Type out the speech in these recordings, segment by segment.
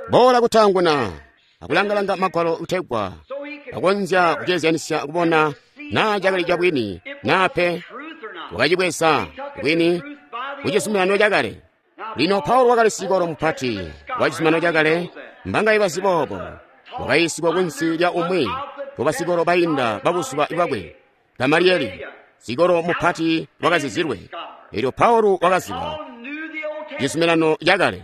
Boola kutaanguna akulangalanga magwalo kutegwa akonzya kuceezyanisya kubona naa cakali cabwini naa pe. Wakacibweza bwini kucizuminano cakale. Lino Paulo wakali sikolo mupati wa cizuminano cakale, mbangaye bazi boobo. Wakayiisigwa kunsi lya umwi wa basikolo bainda babuzuba bwakwe, Gamaliyeli, sikolo mupati wakazizilwe. Elyo Paulo wakaziba cizuminano cakale.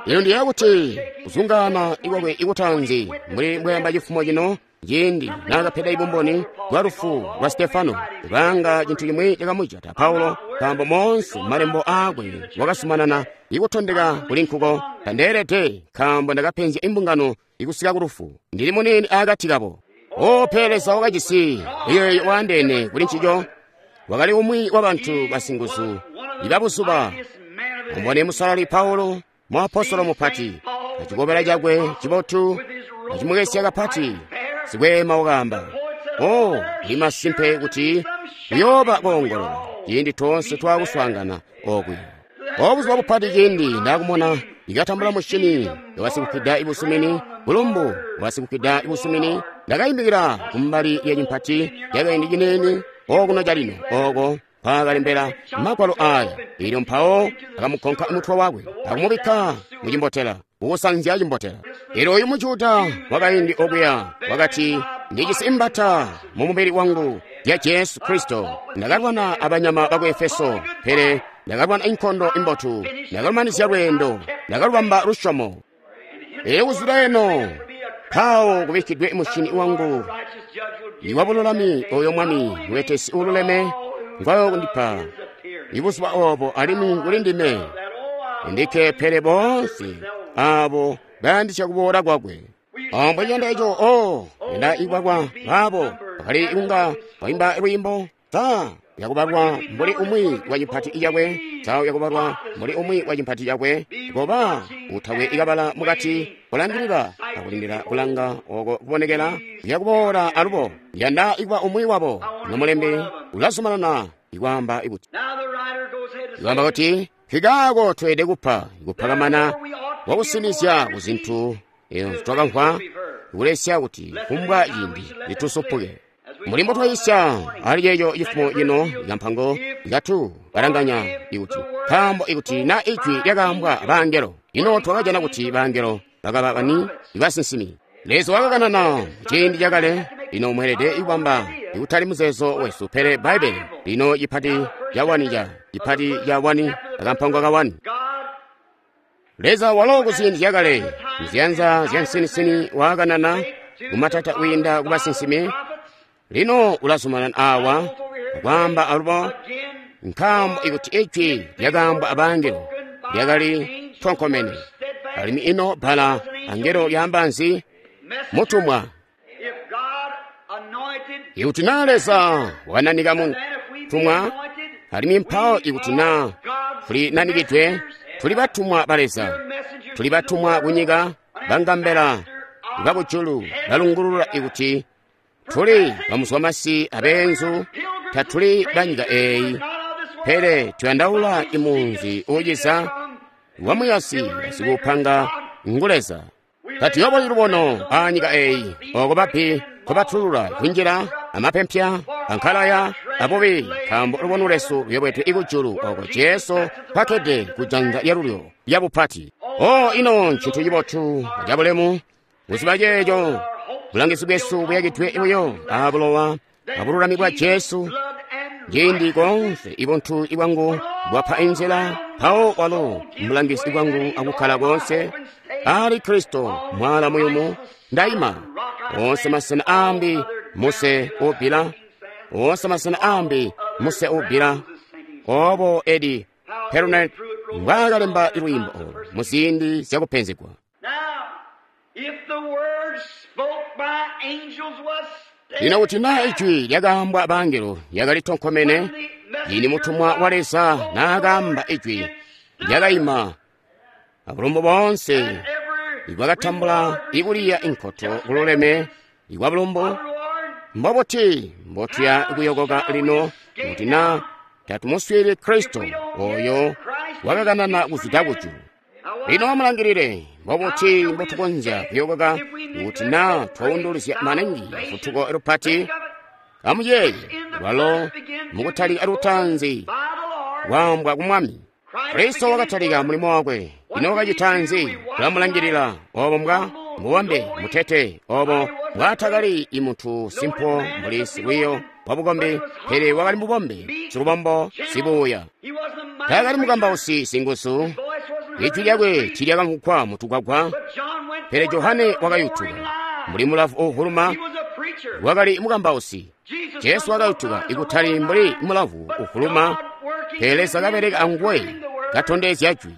Lino ndiyeeya kuti kuzungaana ikwakwe ikutaanzi mbuli mbwayamba cifumo cino, ciindi naakapeda ibumboni bwa lufu lwa Stefano, kubanga cintu cimwi cakamujata Paulo, nkaambo moonse malembo aakwe wakazumanana ikutondeka kuli nkuko. Tandeelede, nkaambo ndakapenzya imbungano ikusika ku lufu, ndili muniini akati kabo. O pele Leza wakajisi iyeeyo waandeene kuli ncico. Wakali umwi wa bantu basinguzu ibabuzuba. Mubone Musalali Paulo, muapostolo mupati, acikobela cakwe cibotu acimukesya kapati. Sikweema wakaamba, o ndi masimpe kuti kuyooba koongolola ciindi toonse twaakuswaangana okuya. O buzuba bupati ciindi ndaakumona ikatambula mushini wasikupida ibusumini, bulumbu bwasikupida ibusumini, ndakaimbikila kumbali lya cimpati lyakaindi ciniini okuno calino oko mpaakalembela magwalo aya. Elyo mpawo akamukonka mutwe wakwe akumubikka mucimbotela, kukusanzya cimbotela. Elyo oyu Mujuda wakaindi okuya wakati, ndijisi imbata mu mubili wangu ya Jesu Kristo. Ndakalwana abanyama baku Efeso, pele ndakalwana inkondo imbotu, ndakalumanizya lweendo, ndakalubamba lusyomo. Elyo kuzwida eno mpawo kubikkidwe mushini wangu iwabululami oyo Mwami mubetesi uululeme ngwayo kundipa ibuzuba obo, alimwi kuli ndime ndikke pele boonse abo bayandisya kuboola kwakwe. Mbwe ciyanda eco, o yanda ikwakwa baabo bakali kunga baimba lwiimbo sa yakubalwa mbuli umwi wa cimpati cakwe, sa yakubalwa mbuli umwi wa cimpati cakwe, koba utakwe ikabala mukati, kulangilila akulindila kulanga oko kubonekela yakuboola alubo. Yanda ikuba umwi wabo. Nomulembi ulazumanana ikwaamba ikuti, ikwaamba kuti nkikaako tweelede kupa ikupakamana wakusinizya ku zintu ezo twakamvwa, kulesya kuti kumbwa ciindi litusupuke. Mbuli mbotwayisya ali ceeco cifumo cino ikampango ikatu balanganya ikuti, nkaambo ikuti na ijwi lyakaambwa abangelo, ino twakajana kuti bangelo bakaba bani? Ibasinsimi. Leza wakakanana ciindi cakale. Lino mweelede ikubamba ikutali muzeezo wesu, pele Bbaibbele. Lino cipati ca wani ca cipati ca wani akampango ka wani. Leza walo kuziindi zyakale muziyanza zya nsinisini waakanana kumatata kwiinda ku basinsimi. Lino ulazumanana awa akwaamba alubo, nkaambo ikuti ijwi lyakaambwa abangelo lyakali tonkomene, alimwi ino bbala angelo lyaamba nzi? Mutumwa. Ikuti naa Leza wananika mutumwa, alimwi mpawo ikuti naa tuli nanikidwe, tuli batumwa ba Leza, tuli batumwa kunyika, bangambela bakujulu balungulula ikuti tuli bamuzwamasi abeenzu, tatuli banyika eeyi, pele tuyandaula imunzi uuciza wamuyasi basikuupanga ngu Leza. Tatuyoboli lubono anyika eeyi, oko babbi nkobatulula kunjila amapempya ankalaya abubi, nkaambo lubono lwesu luyobwedwe ikujulu oko Jesu mpakkede kujanza lyalulyo lyabupati. O ino ncintu cibotu acabulemu kuziba ceeco! Bulangizi bwesu buyakidwe buyo abulowa abululami bwa Jesu. Ciindi koonse ibuntu bwangu bwapa inzila, mpawo walo mulangizi bwangu akukkala koonse ali Kristo mwala muyumu ndaima. Oonse masena aambi muse ubbila, oonse masena aambi muse ubbila. Obo Eddie Perronet mbwaakalemba lwiimbo olu muziindi zyakupenzegwa. Lino kuti naa ijwi lyakaambwa abangelo lyakali tonkomene, ciindi mutumwa wa Leza naakaamba ijwi lyakaima abulumbu boonse ibwakatambula ikuliya inkoto kululeme ikwa bulumbu, mbobuti mbotuya kuyokoka lino kuti naa tatumuswiili Kristo oyo wakakanana kuzwida kujulu. Lino amulangilile, mbobuti mbotukonzya kuyokoka kuti naa twaunduluzya maningi lufutuko lupati? Amuyeeye, lwalo mukutalika lutaanzi lwaambwa ku Mwami. Kristo wakatalika mulimo wakwe. Ino wakacita nzi? Tulamulangilila obo mbwa mubombe mutete, obo mbwaatakali imuntu simpo mbuli silwiyo wabukombi, pele wakali mubombe, silubombo, sibuuya. Taakali mukambausi singuzu, ijwi lyakwe tiilyakamvwugwa mutugwagwa, pele Johane wakayutuka mbuli mulavu uuvuluma. Wakali mukambausi. Jesu wakayutuka ikutali mbuli mulavu uvuluma, pele Leza kabeleka anguwe katondezya jwi.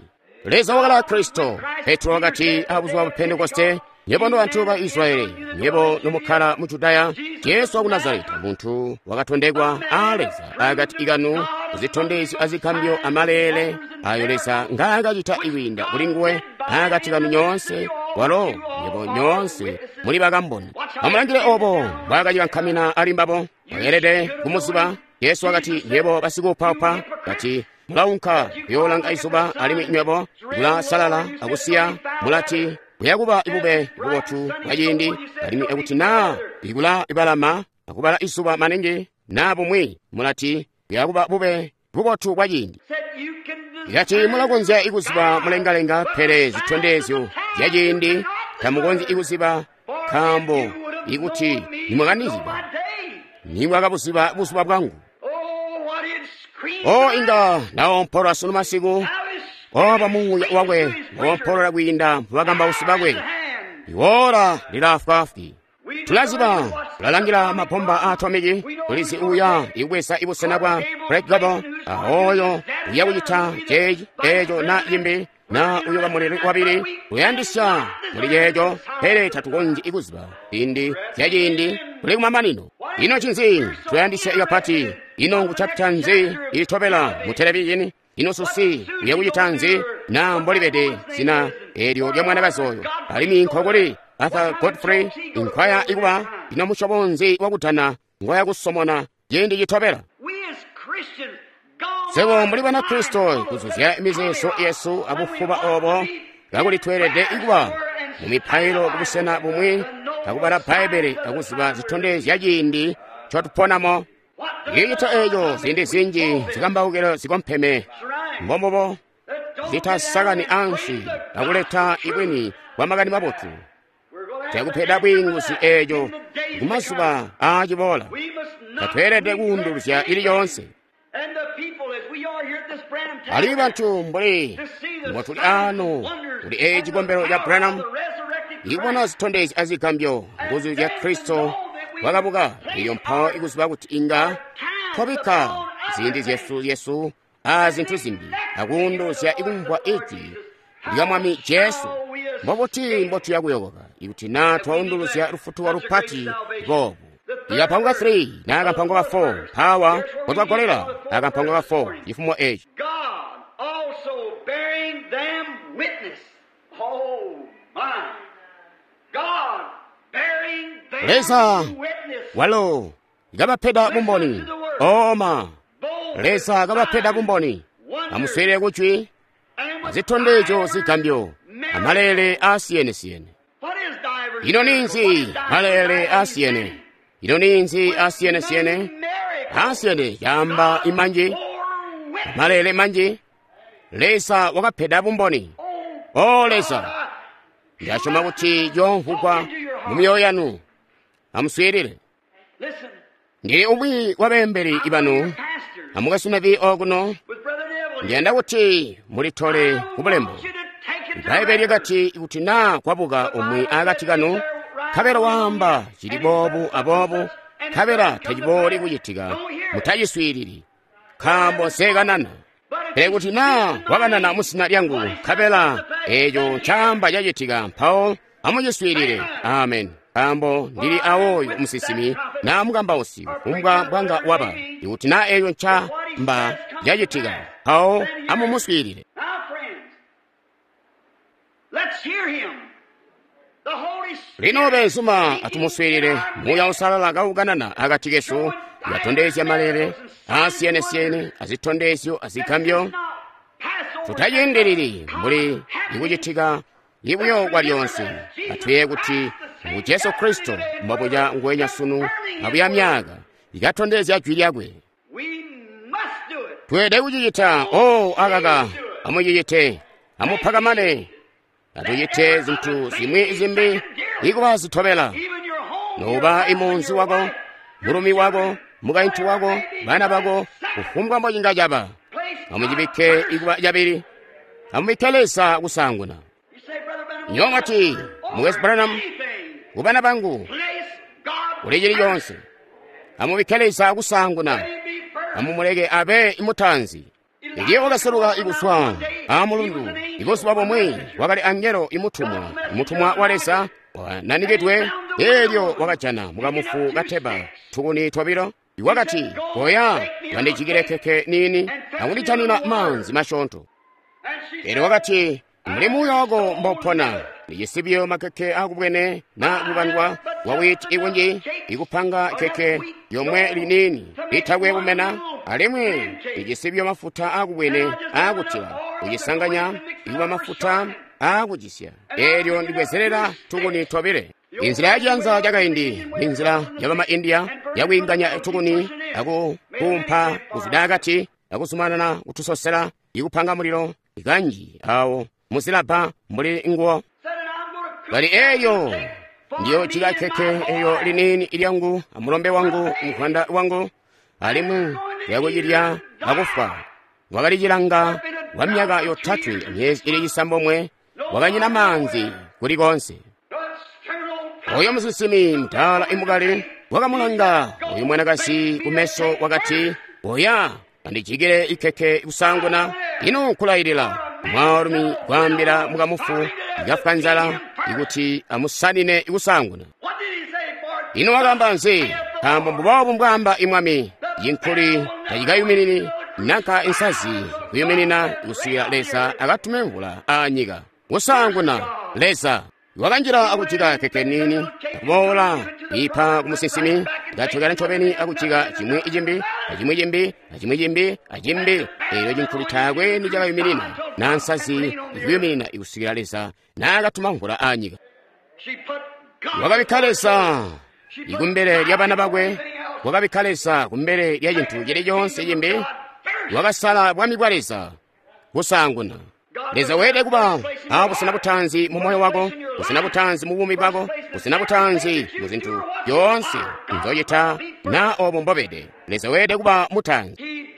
Leza wakala Kristo. Petro wakati abuzuba bwa Pentekoste, "Nywebo nobantu ba Israyeli, nywebo nomukkala mu Judaya, Jesu waku Nazareta, muntu wakatondekwa a Leza akati kanu kuzitondezyo azigambyo amaleele ayo Leza ngaakacita kwiinda kuli nguwe akati kanu nyoonse, walo nywebo nyoonse muli bakamboni." Amulangile obo mbwaakacikankamina ali mbabo. Bakeelede kumuziba. Jesu wakati, "Nywebo basikuupaupa," kati, "mulaunka kuyoolanga izuba, alimwi nywebo mulasalala akusiya, mulati kuyakuba bube bubotu bwa ciindi, alimwi akuti naa ikula ibalama akubala izuba maningi naa bumwi, mulati kuyakuba bube bubotu bwa ciindi." Ikati mulakonzya ikuziba mulengalenga, pele zitondezyo zya ciindi tamukonzyi ikuziba, nkaambo ikuti nimwakaniziba nimwakabuziba buzuba bwangu. O inga naompolola sunu masiku, oba muuya wakwe wompolola kwiinda mubakambausi bakwe. Iwola lilaafwaafwi. Tulaziba, tulalangila mabomba a atomiki, tulizi uya ikubweza ibusena bwa Black Gobble, aoyo uya kucita ceeci eco na yimbi na uyoba muleli wabili. Tuyandisya muli ceeco, pele tatukonzyi ikuziba ziindi zya ciindi tuli kumamanino. Ino ncinzi tuyandisya ikapati? Ino ngu chapita nzi itobela mu televizhini? Ino susi uya kucita nzi na mbolibede zina eelyo lya mwanakazi oyo? Alimwi nkokuli Arthur Godfrey inkwaya ikuba ino musyobo nzi wakutana ngoya kusomona ciindi citobela? Swebo mbuli Banakristo kuzuzya mizeezo yesu abufuba obo, kakuli tweelede kuba mu mipailo kubusena bumwi akubala Bbaibbele akuziba zitondezya ciindi ncotuponamo. Icita eeco ziindi zinji zikambaukilo zikompeme mbombubo zitasakani ansi akuleta ibwini bwa makani mabotu. Cakupeda bwiinguzi eeco kumazuba aaciboola. Tatweelede kuunduluzya ili yoonse. Alimwi bantu mbuli mbotuli aano kuli eeci cikombelo ca Branham, ikubona zitondezyo azigambyo nguzu zya Kristo wakabuka, elyo mpawo ikuziba kuti inga twabikka ziindi zyesu a zintu zimbi akuunduluzya ikumvwa ijwi lya Mwami Jesu. Mbobuti mbotuya kuyokoka ikuti naa twaunduluzya lufutuko lupati boobu? Ikampango ka 3 na kampango ka 4 mpawa potwagolela akampango ka 4 chifumo echi. Leza walo kabapeda bumboni. Oma Leza kabapeda bumboni. Amuswere kujwi azitondezyo zigambyo amalele asiyene-siyene. Ino ninzi malele asiyene? Ino ninzi asiyene-siyene? Asiyene yamba imanji, malele manji. Leza wakapeda bumboni. O Leza, ndasyoma kuti yomvugwa mu myoyo yanu. Amuswiilile. Ndili umwi wa beembeli ibanu amukasunavi okuno. Ndiyanda kuti mulitole ku bulembo. Bbaibbele lyakati kuti naa kwabuka umwi akati kanu, nkabela waamba cili boobu aboobu, nkabela tacibooli kucitika, mutaciswiilili, nkaambo nsekanana. Pele kuti naa wakanana muzina lyangu, nkabela eeco ncaamba cacitika, mpawo amuciswiilile. Amen. Nkaambo ndili awoyo musinsimi naa mukambausi kufumbwa mbwanga waba, ikuti naa eeco ncaamba cacitika, mpawo amumuswiilile. Lino beenzuma atumuswiilile. Muuya Uusalala kaukanana akati kesu, yatondezya malele aasiyene-siyene azitondezyo azigambyo. Tutaciindilili mbuli ikucitika ibuyo kwalyonse. Atuye kuti ngu Jesu Kristo mbobuca nguwenya sunu abuya myaka ikatondezya jwi lyakwe. Tweelede kucicita. O akaka, amucicite, amupakamane, atucite zintu zimwi zimbi ikuba zitobela. Nouba imunzi wako, mulumi wako, mukaintu wako, bana bako, kufumbwa mbocinga caba, amucibikke ikuba cabili. Amubikke Leza kusaanguna. Nywebo mwati, Mukwesu Branham, kubana bangu, kuli cili conse. Amubikke Leza kusaanguna. Amumuleke abe imutanzi. Iye wakaseluka ikuswa amulundu. Ibuzuba bumwi wakali angelo imutumwa, imutumwa wa Leza wananikidwe. Elyo wakajana mukamufu kateba tukuni twabilo. Wakati, koya wandijikile keke nini akundijanina manzi masyoonto. Elyo wakati, muli muuya wako mbopona ndicisibyo makeke akubwene na kukandwa wa witi ikunji ikupanga keke yomwe linini litakwe kumena, alimwi ndicisibyo mafuta akubwene akutila kucisanganya ikuba mafuta akucisya. Elyo ndibwezerera tukuni twabile. Inzila yaciyanza cakaindi ni nzila yabama India yakwiinganya tukuni akukumpa kuzida akati akuzumanana kutusosela ikupanga mulilo ikanji awo muzilabba mbuli nguwo. Bali eyo ndiyo jika keke eyo linini ilyangu amulombe wangu mukwanda wangu, alimwi yakucilya akufwa. Wakalicilanga kwa myaka yotatwe myezi ili cisambomwe, wakanyina manzi kulikonse. Oyo musinsimi mtaala imukali wakamulanga uyu mwanakazi kumeso wakati, oya andijikile ikeke kusanguna ino nkulayilila mwaalumi kwaambila mukamufu ikafwa nzala ikuti amusanine ikusanguna. Ino wakamba nzi? Nkaambo mbuboobu mbwaamba imwami, yinkuli tacikayuminini nanka insazi kuyuminina kusikila Leza akatume mvula anyika. Kusanguna Leza wakanjila akujika keke nini akuboola ipa kumusinsimi ikatokela ncobeni akujika chimwi ichimbi achimwi chimbi achimwi chimbi achimbi. Elyo chinkhuli taakwe nichakayuminina na nsazi ikuyuminina ikusikila Leza nakatuma mvula anyika. Wakabikka Leza ikumbele lya bana bakwe, wakabikka Leza kumbele lya cinthu chilichonse chimbi. Wakasala bwami bwa Leza kusanguna. Leza weelede kuba abusena butanzi mu moyo wako, busena butanzi mu buumi bwako, busena butanzi mu zinthu zyonse nzochita na obo mbobede. Leza weelede kuba mutanzi.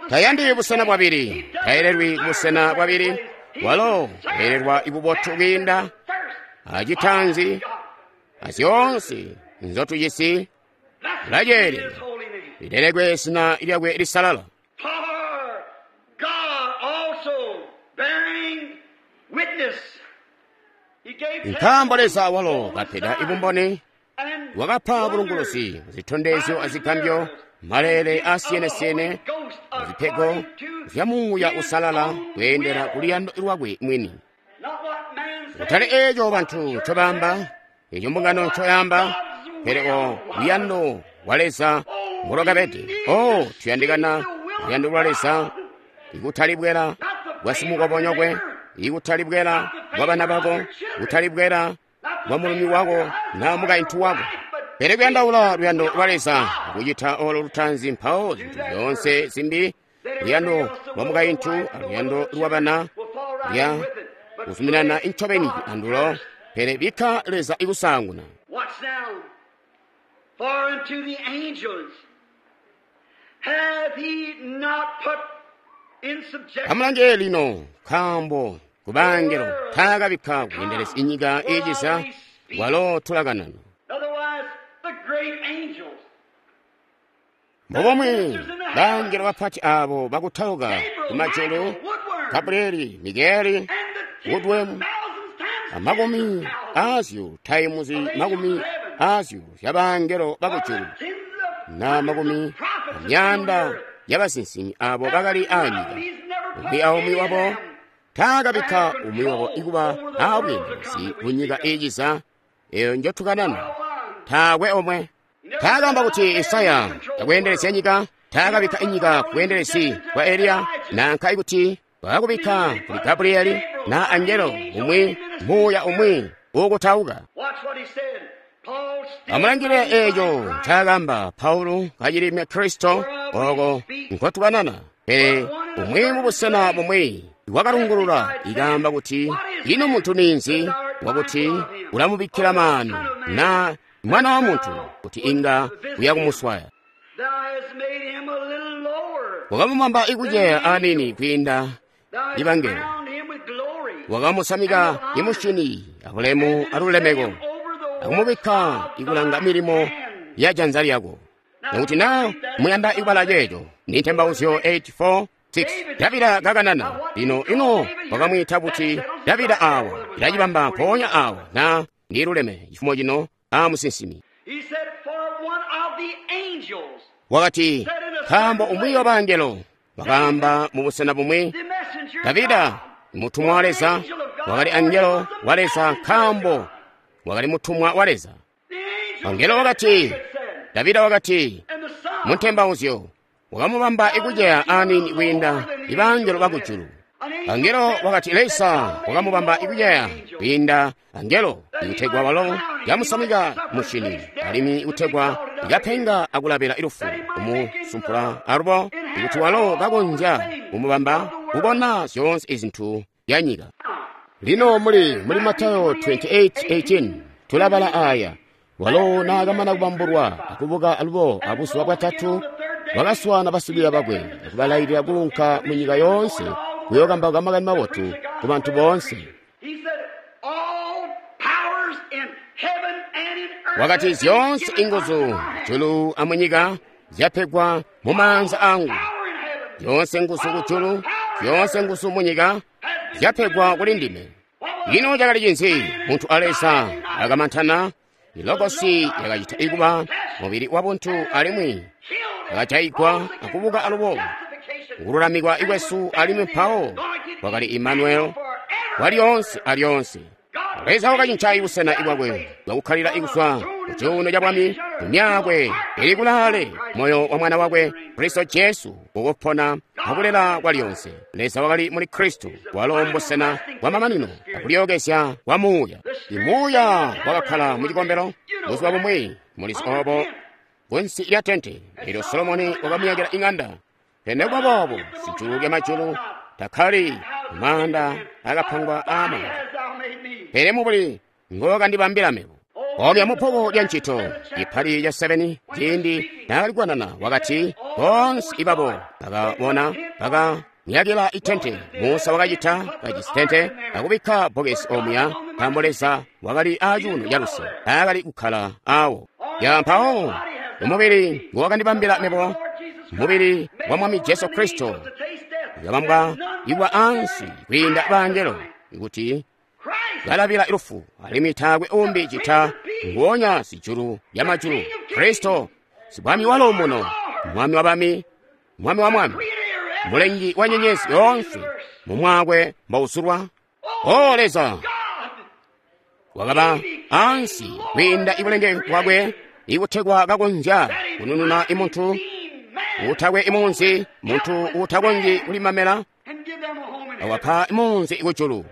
Tayandi busena bwabili, tayelelwi busena bwabili. Walo weelelwa ibubotu kwiinda acitanzi azyonse nzotujisi. Ulaceelela lilelekwe zina lyakwe lisalala. Nkaambo Leza walo kapeda ibumboni, wakapa bulunguluzi zitondezyo azigambyo, maleele asiyene-siyene, azipego zya Muuya Usalala kweendela kuluyando lwakwe mwini. Kutali eco bantu ncobaamba, eco mbungano ncoyamba, pele o luyando lwa Leza mbulwakabede. O tuyandikana luyando lwa Leza, ikutali bwela bwa simukobonyokwe, ikutali bwela bwa bana bako, kutali bwela bwa mulumi wako na mukaintu wako. Pele kuyandaula luyando lwa Leza kucita olo lutanzi, mpawo zinthu zyonse zimbi, luyando lwa mukaintu aluyando lwa bana lya kuzuminana ncobeni andulo. Pele bikka Leza ikusanguna. Amulange lino, nkaambo kubangelo taakabikka kuyendeleza inyika iiciza, walo tulakanana. Mbubomwe bangelo bapati abo bakutauka kumajulu, Gabrieli, Mikaeli, Woodworm, amakumi azyo taimuzi makumi azyo zyabangelo bakujulu na makumi amyanda yabasinsimi abo bakali anyika. Umwi aumwi wabo taakabikka umwi wabo ikuba abweendelezi ku nyika iiciza eyo njotukanana. Taakwe omwe taakamba kuti Isaya takweendelezya nyika, taakabikka inyika kubweendelezi bwa Eliya, nanka ikuti Wakakubikka kuli Gabriyeli na angelo umwi, muuya umwi uukutauka. Amulangile eeco ncaakamba Paulo kacili Mukristo ooko nkotukanana. Pele umwi mubusena bumwi wakalungulula ikaamba kuti ino muntu ninzi wakuti ulamubikkila maanu na mwana wa muntu kuti inga uya kumuswaya. Wakamubamba ikuceya anini kwiinda ibangelo, wakamusamika imusyini abulemu alulemeko, akumubikka ikulanga milimo ya janza lyako. Nokuti na muyanda ikubala ceeco ni Ntembauzyo 84:6. Davida kakanana lino ino wakamwiita kuti Davida awa ilacibamba mpoonya awa na ndiluleme chifumo chino a musinsimi. Wakati nkaambo umwi wa bangelo wakaamba mubusena bumwi, Davida mutumwa wa Leza wakali angelo wa Leza nkaambo wakali mutumwa wa Leza. Angelo wakati, Davida wakati muntembauzyo wakamubamba ikuceya anini kwiinda ibangelo bakujulu. Angelo wakati Leza wakamubamba ikuceya kwiinda angelo ikutegwa walo yamusamika musyini alimwi ikutegwa ikapenga akulabila ilufu kumusumpula alubo ikuti walo kakonzya kumubamba kubona zyoonse izintu ya nyika. Lino muli Matayo 28:18 tulabala aya. Walo naakamana kubambulwa akubuka alubo abuzuba bwatatu wakaswana basikwiiya bakwe akubalailila kuunka mu nyika yoonse kuyookambauka makani mabotu ku bantu boonse. Wakati zyoonse inguzu julu amunyika zyapegwa mu maanza angu. Zyoonse nguzu kujulu, zyoonse nguzu munyika zyapegwa kuli ndime. Ino cakali cinzi? Muntu a Leza akamantana. Ilogosi yakacita ikuba mubili wa buntu alimwi yakajayigwa akubuka alubo kululamikwa ikwesu alimwi mpawo wakali Immanuel walyoonse alyonse. Leza wakacinca ibusena ibwakwe bwakukkalila ikuzwa ku cuuno ca bwami kumyakwe ili kulaale moyo wa mwana wakwe Kristo Jesu kukupona akulela kwalyonse. Leza wakali muli Kristo walo mbusena bwa mamanino akulyookezya kwa muuya. Imuuya wakakkala mu cikombelo buzuba bumwi mulizi obo kunsi lya tente elyo Solomoni wakamuyakila ing'anda. Pele nikuba boobo sijulu lya majulu takkali maanda akapangwa aamaanza, pele mubuli ngowakandibambila mebo. Omya mupoko lya ncito ipali lya 7 ciindi naakali kukanana wakati boonse ibabo bakabona bakamuyakila itente. Musa wakacita kajisi tente akubikka bbokesi omuya nkaambo Leza wakali acuuno caluse aakali kukkala awo. Ya mpawo umubili ngowakandibambila mebo, mubili wa Mwami Jesu Kristo yakabambwa iwa ansi kwiinda bangelo kuti balabila ilufu alimwi taakwe umbi cita nguonya sijulu lya majulu Kristo sibwami walo muno, mwami wa bami, mwami wa mwami, mulengi wa nyenyezi yoonse mumwakwe mbausulwa. O Leza wakaba ansi kwiinda ibulenge bwakwe ikutegwa kakonzya kunununa imuntu utakwe imunzi, muntu utakonzyi kulimamela awapa imunzi ikujulu.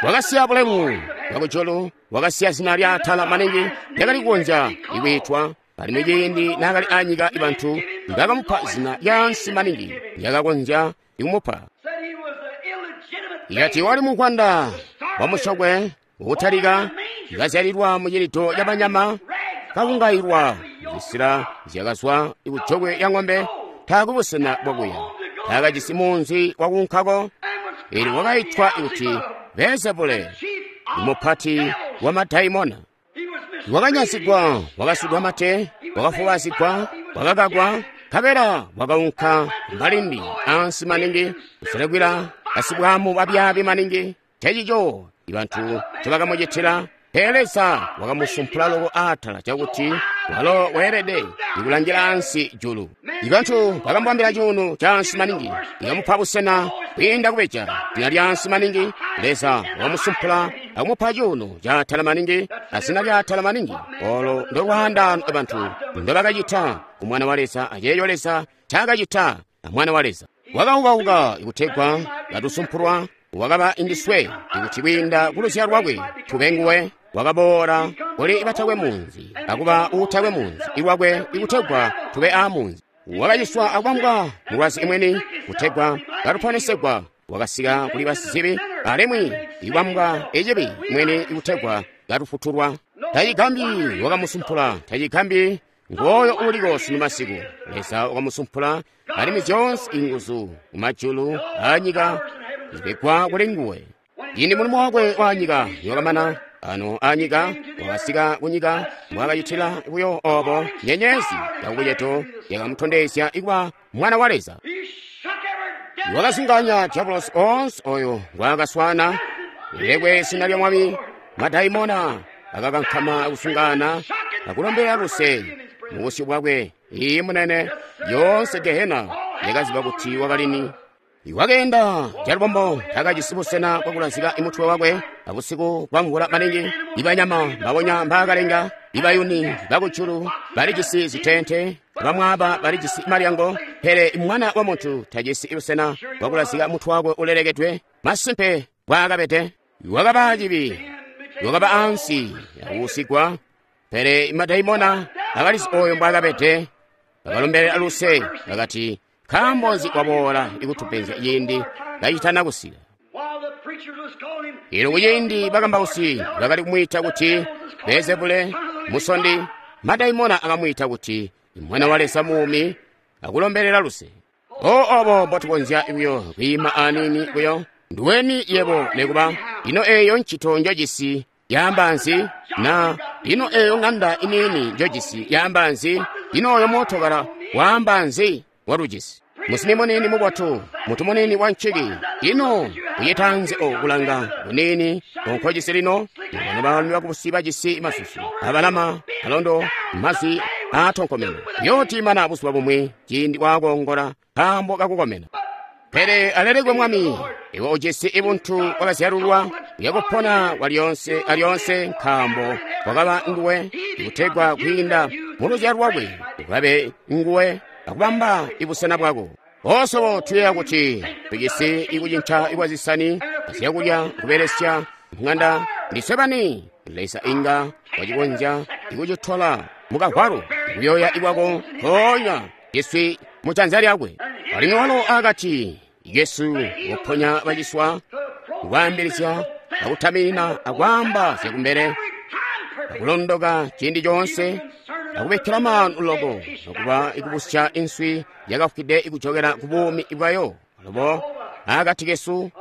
Wakasiya bulemu bwakujulu, wakasiya zina lya atala maningi lyakali kukonzya ikwiitwa alimwi ciindi naakali anyika ibantu bakamupa zina lyaansi maningi lyakakonzya ikumupa. Ikati wali mukwanda wa musyokwe ukutalika ikazyalilwa mu cilido ca banyama kakungailwa zisila zyakazwa ikujokwe lya ng'ombe taakwe busena bwakuya taakajisi munzi wakuunkako. Eelyo wakaitwa kuti Beelzebule, mupati wa madaimona. Wakanyasigwa, wakasudwa mate, wakafubazigwa, wakakakwa, nkabela wakaunka mbalimbi ansi maningi kuselekela basibwamu babyaabi maningi. Ncencico ibantu ncobakamucitila. Pele Leza wakamusumpula loko atala cakuti walo weelede ikulangila ansi julu. Ibantu bakamubambila cuuno caansi maningi, ikamupa busena kwiinda kubeja zina lyaansi maningi. Leza wakamusumpula akumupa cuuno caatala maningi azina lyaatala maningi. Olo ndolwaandano abantu ndobakacita ku Mwana wa Leza aceeco Leza ncaakacita a Mwana wa Leza. Wakaukauka kutegwa katusumpulwa, wakaba indiswe ikuti kwiinda kuluzyalo lwakwe tube nguwe. Wakaboola kuli batakwe munzi akuba uutakwe munzi iwakwe ikutegwa tube aamunzi. Wakaciswa akubambwa mulwazi imweni kutegwa katuponesegwa. Wakasika kuli basizibi alimwi ikubambwa ecibi imweni ikutegwa katufutulwa. Tacigambi wakamusumpula, tacigambi ngooyo uliko sunu masiku. Leza wakamusumpula alimwi zyoonse inguzu kumajulu aanyika zipegwa kuli nguwe. Ciindi mulimo wakwe waanyika niwakamana ano anyika, wakasika kunyika mbwaakacitila buyo obo nyenyezi yakubucedo yakamutondezya ikuba mwana wa Leza. Wakazunganya diabolosi onse oyo ngwaakaswana lilekwe zina lya Mwami. Madaimona akakankama akusungana akulombera luse mubusyu bwakwe. Iyi munene, yonse gehena yakaziba kuti wakalini. Wakeenda calubombo, takajisi busena bwakulazika mutwe wakwe. Abusiku bwamvula maningi, ibanyama mbabonya mbaakalenga, ibayuni bakujulu balijisi zitente, bamwaaba balijisi malyango, pele mwana wa muntu tajisi busena bwakulazika mutwe wakwe ulelekedwe. Masimpe bwaakabede. Wakaba cibi, wakaba ansi akuusigwa, pele madaimona akalizi oyo mbwaakabede. Bakalombelela luse, bakati, nkaambo nzi waboola ikutupenzya ciindi kacitana kusika? Elo kuciindi bakambausi bakali kumwiita kuti Beelzebule, musondi, madaimona akamwiita kuti mwana wa Leza muumi, akulombelela luse. O obo mbotukonzya buyo kwiima aniini buyo. Nduweni yebo nekuba ino eyo ncito njojisi yaamba nzi? Na ino eyo ŋanda iniini njojisi yaamba nzi? Ino oyo mootokala waamba nzi walujisi? Musini munini mubotu, mutu munini wa nciki, ino uyitanzi okulanga munini onkojisi lino? Bano baalumi bakubusi bajisi masusu abalama alondo mazwi aatonkomene yotimana buzuba bumwi ciindi waakongola nkaambo kakukomena. Pele alelekwe Mwami, iwe ujisi ibuntu bwakazyalulwa uyakupona kwalyonse alyonse, nkaambo wakaba nguwe ikutegwa kwiinda muluzyalo lwakwe ukabe nguwe akubamba ibusena bwako. Osobo tuyeeya kuti tujisi ikucinca ikwazisani azyakulya kubelesya ng'anda ndiswe bani. Leza inga wacikonzya ikucitola mukagwalo kuyoya ikwako mpoonya ciswi mujanza lyakwe. Alimwi walo akati Yesu woponya baciswa, kwaambilizya akutaminina akwaamba zyakumbele akulondoka ciindi coonse akubikkila maanu loko nokuba ikubusya inswi yakafwide ikujokela ku buumi bwayo. Alubo akati kesu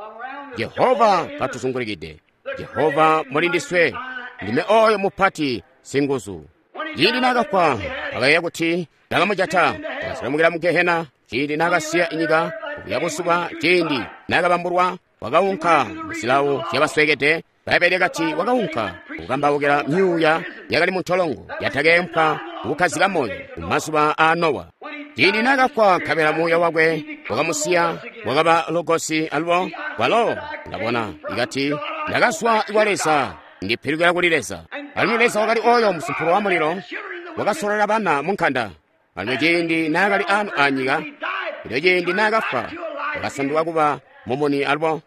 Jehova katuzungulikide, Jehova muli ndiswe, ndime oyo mupati singuzu. Ciindi naakafwa bakayeeya kuti bakamujata, bakaselemukila mu Gehena. Ciindi naakasiya inyika kuya busuba, ciindi naakabambulwa wakaunka muzilawo zyabasweekede. Bbaibbele lyakati wakaunka kukambaukila myuuya yakali muntolongo yatakeempwa kukkazika moyo kumazuba aa Nowa. Ciindi naakafwa nkabela muuya wakwe wakamusiya, wakaba logosi alubo walo ndabona ikati ndakazwa kwa Leza, ndipilukila kuli Leza. Alimwi Leza wakali oyo musumpulo wa mulilo wakasololela bana munkanda. Alimwi ciindi naakali ano anyika, elyo ciindi naakafwa wakasanduka kuba mumuni alubo.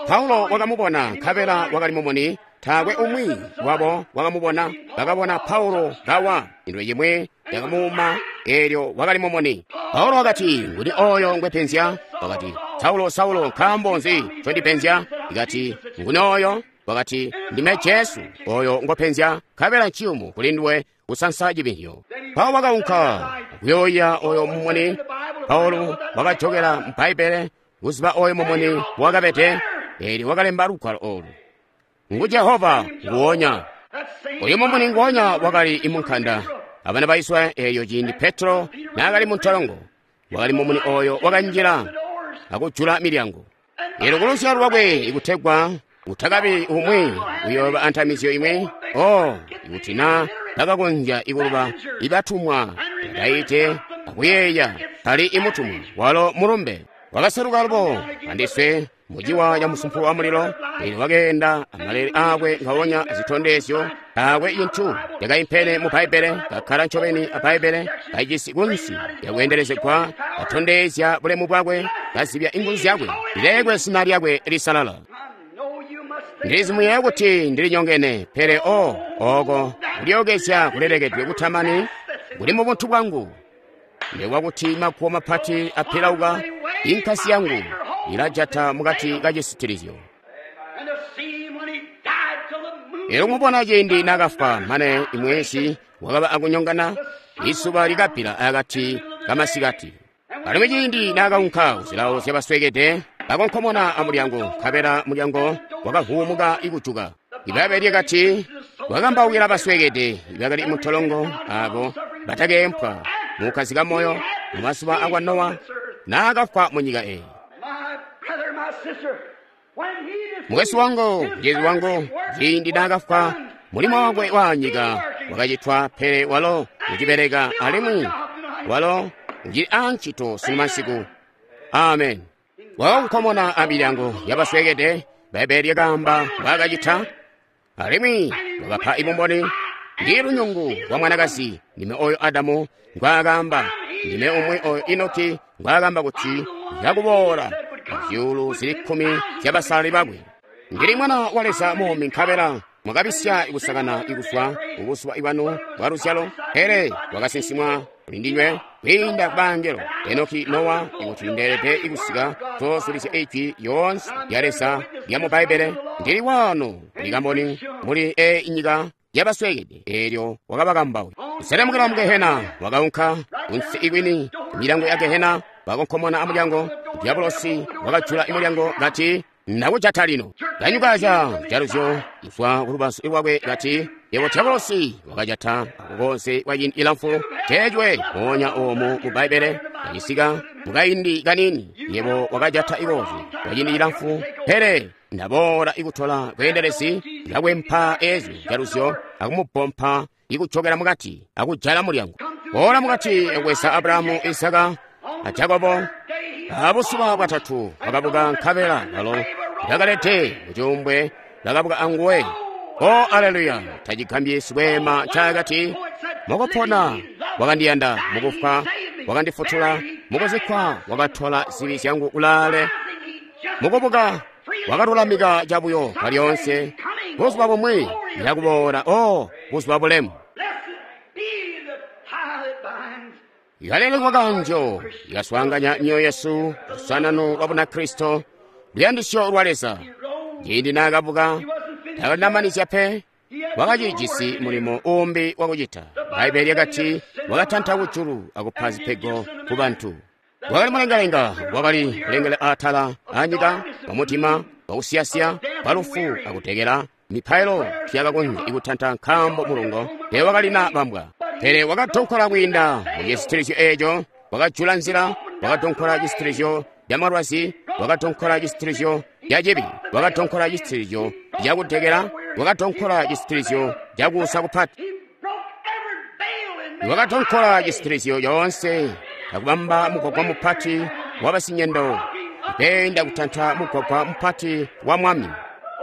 Paulo wakamubona nkabela wakali mumuni. Taakwe umwi wabo wakamubona. Bakabona Paulo kawa, indwe cimwi yakamuuma, eelyo wakali mumuni. Paulo wakati, nguni oyo ngwepenzya? Wakati, Saulo, Saulo, nkaambo nzi ncondipenzya? Ikati, nguni oyo? Wakati, ndime Jesu oyo ngopenzya, nkabela nciyumu kuli nduwe kusansa cibinhyo. Paulo wakaunka kuyoya oyo mumuni. Paulo wakajokela mu Bbaibbele kuziba oyo mumuni wakabede, eelyo wakalemba lugwalo olu. Ngu Jehova nguwonya. Oyo mumuni nguwonya wakali imunkanda abana ba Israyeli eelyo ciindi Petro naakali muntolongo, wakali mumuni oyo wakanjila akujula milyango. Eelyo kuluzyalo lwakwe ikutegwa utakabi umwi uyooba antamizyo imwe. O ikuti na bakakonzya ikuluba ibatumwa bataite akuyeeya kali imutumwa walo mulumbe wakaseluka alubo andiswe Muciwa ca musumpulu wa mulilo, eelyo wakeenda amalele aakwe ngaonya azitondezyo, taakwe cintu cakaimpene mu Bbaibbele, kakkala ncobeni a Bbaibbele, kajisi kunsi lyakweendelezegwa, katondezya bulemu bwakwe, kazibya inguzu zyakwe, lilekwe zina lyakwe lisalala. Ndilizi muyeeya kuti ndilinyongene, pele o oko kulyookezya kulelekedwe kutamani kuli mu buntu bwangu. Ndikwa kuti maguwo mapati apilauka, inkasi yangu ilajata mukati ka cisitilizyo. Elyo kumubona ciindi naakafwa, mane imwezi wakaba akunyongana, izuba likabbila akati kamasikati. Alimwi ciindi naakaunka kuzilawo zyabasweekede, bakonkomona amulyango, nkabela mulyango wakavuumuka ikujuka. Ibbaibbele lyakati, wakambaukila basweekede ibakali muntolongo aabo batakeempwa mukukkazika moyo mumazuba akwa Nowa naakafwa munyika eyi. Mukwesu wangu, mucizi wangu, ciindi naakafwa, mulimo wakwe waanyika wakacitwa, pele walo ucibeleka alimwi walo ucili aancito sunu masiku. Amen. Wakakonkomona amilyango yabasweekede, Bbaibbele lyakaamba mbwaakacita, alimwi wakapa ibumboni. Ndi lunyungu lwa mwanakazi, ndime oyo Adamu ngwaakaamba, ndime umwi oyo Enoki ngwaakaamba kuti yakuboola zyuulu zili 10 zyabasalali bakwe. Ndili mwana wa Leza muumi, nkabela mwakabisya ikusakana ikuzwa kubuzuba bwanu bwa luzyalo, pele wakasinsimwa kuli ndinywe kwiinda ku bangelo Enoki, Nowa, ikuti ndeelede ikusika kuzoosulizya ijwi yoonse lya Leza lya mu Bbaibbele. Ndili waano kuli kamboni muli eyi nyika yabasweekede. Eelyo wakabakambauka kuselemukila mu Gehena, wakaunka kunsi ikwini kumilyango ya Gehena, wakonkomona amulyango. Diabolosi wakajula imulyango kati, ndakujata lino. Kanyukaca jaluzyo kuzwa kulubazu lwakwe kati, yebo Diabolosi wakajata akukonse kwa ciindi cilamfu teecwe moonya oomu mu Bbaibbele kacisika mukaindi kanini. Yebo wakajata ikozi kwa ciindi cilamfu, pele ndaboola ikutola bweendelezi kakwempa eezyo jaluzyo akumupompa ikujokela mukati akujala mulyango. Boola mukati akwesa Abrahamu, Isaka a Jakobo. Abuzuba bwatatu wakabuka, nkabela balo bakalete mucuumbwe bakabuka anguwe. O aleluya! Tacigambyi sikweema ncaakati, mukupona wakandiyanda, mukufwa wakandifutula, mukuzikkwa wakatola zibi zyangu kulaale, mukubuka wakalulamika cabuyo kwalyoonse. Buzuba bumwi ndakuboola, o buzuba bulemu. Ikalelekwa kanjo ikaswaanganya myoyo yesu lusanano lwa Bunakristo, luyandisyo lwa Leza. Ciindi naakabuka takalinamanizya pe, wakacijisi mulimo uumbi wakucita. Bbaibbele lyakati wakatanta kujulu akupa zipego ku bantu. Wakali mulengalenga, wakali kulengela atala anyika, wamutima, wakusiyasiya, walufu akutekela. Mipailo tiyakakonzya ikutanta nkaambo mulungo teewakalina bambwa. Pele wakadonkola kwiinda mu cisitilizyo eeco, wakajula nzila, wakadonkola cisitilizyo camalwazi, wakadonkola cisitilizyo cacibi, wakadonkola cisitilizyo cakutekela, wakadonkola cisitilizyo cakuusa kupati, wakadonkola cisitilizyo coonse akubamba mugwagwa mupati wabasinyendo, ipeenda kutanta mugwagwa mupati wa mwami.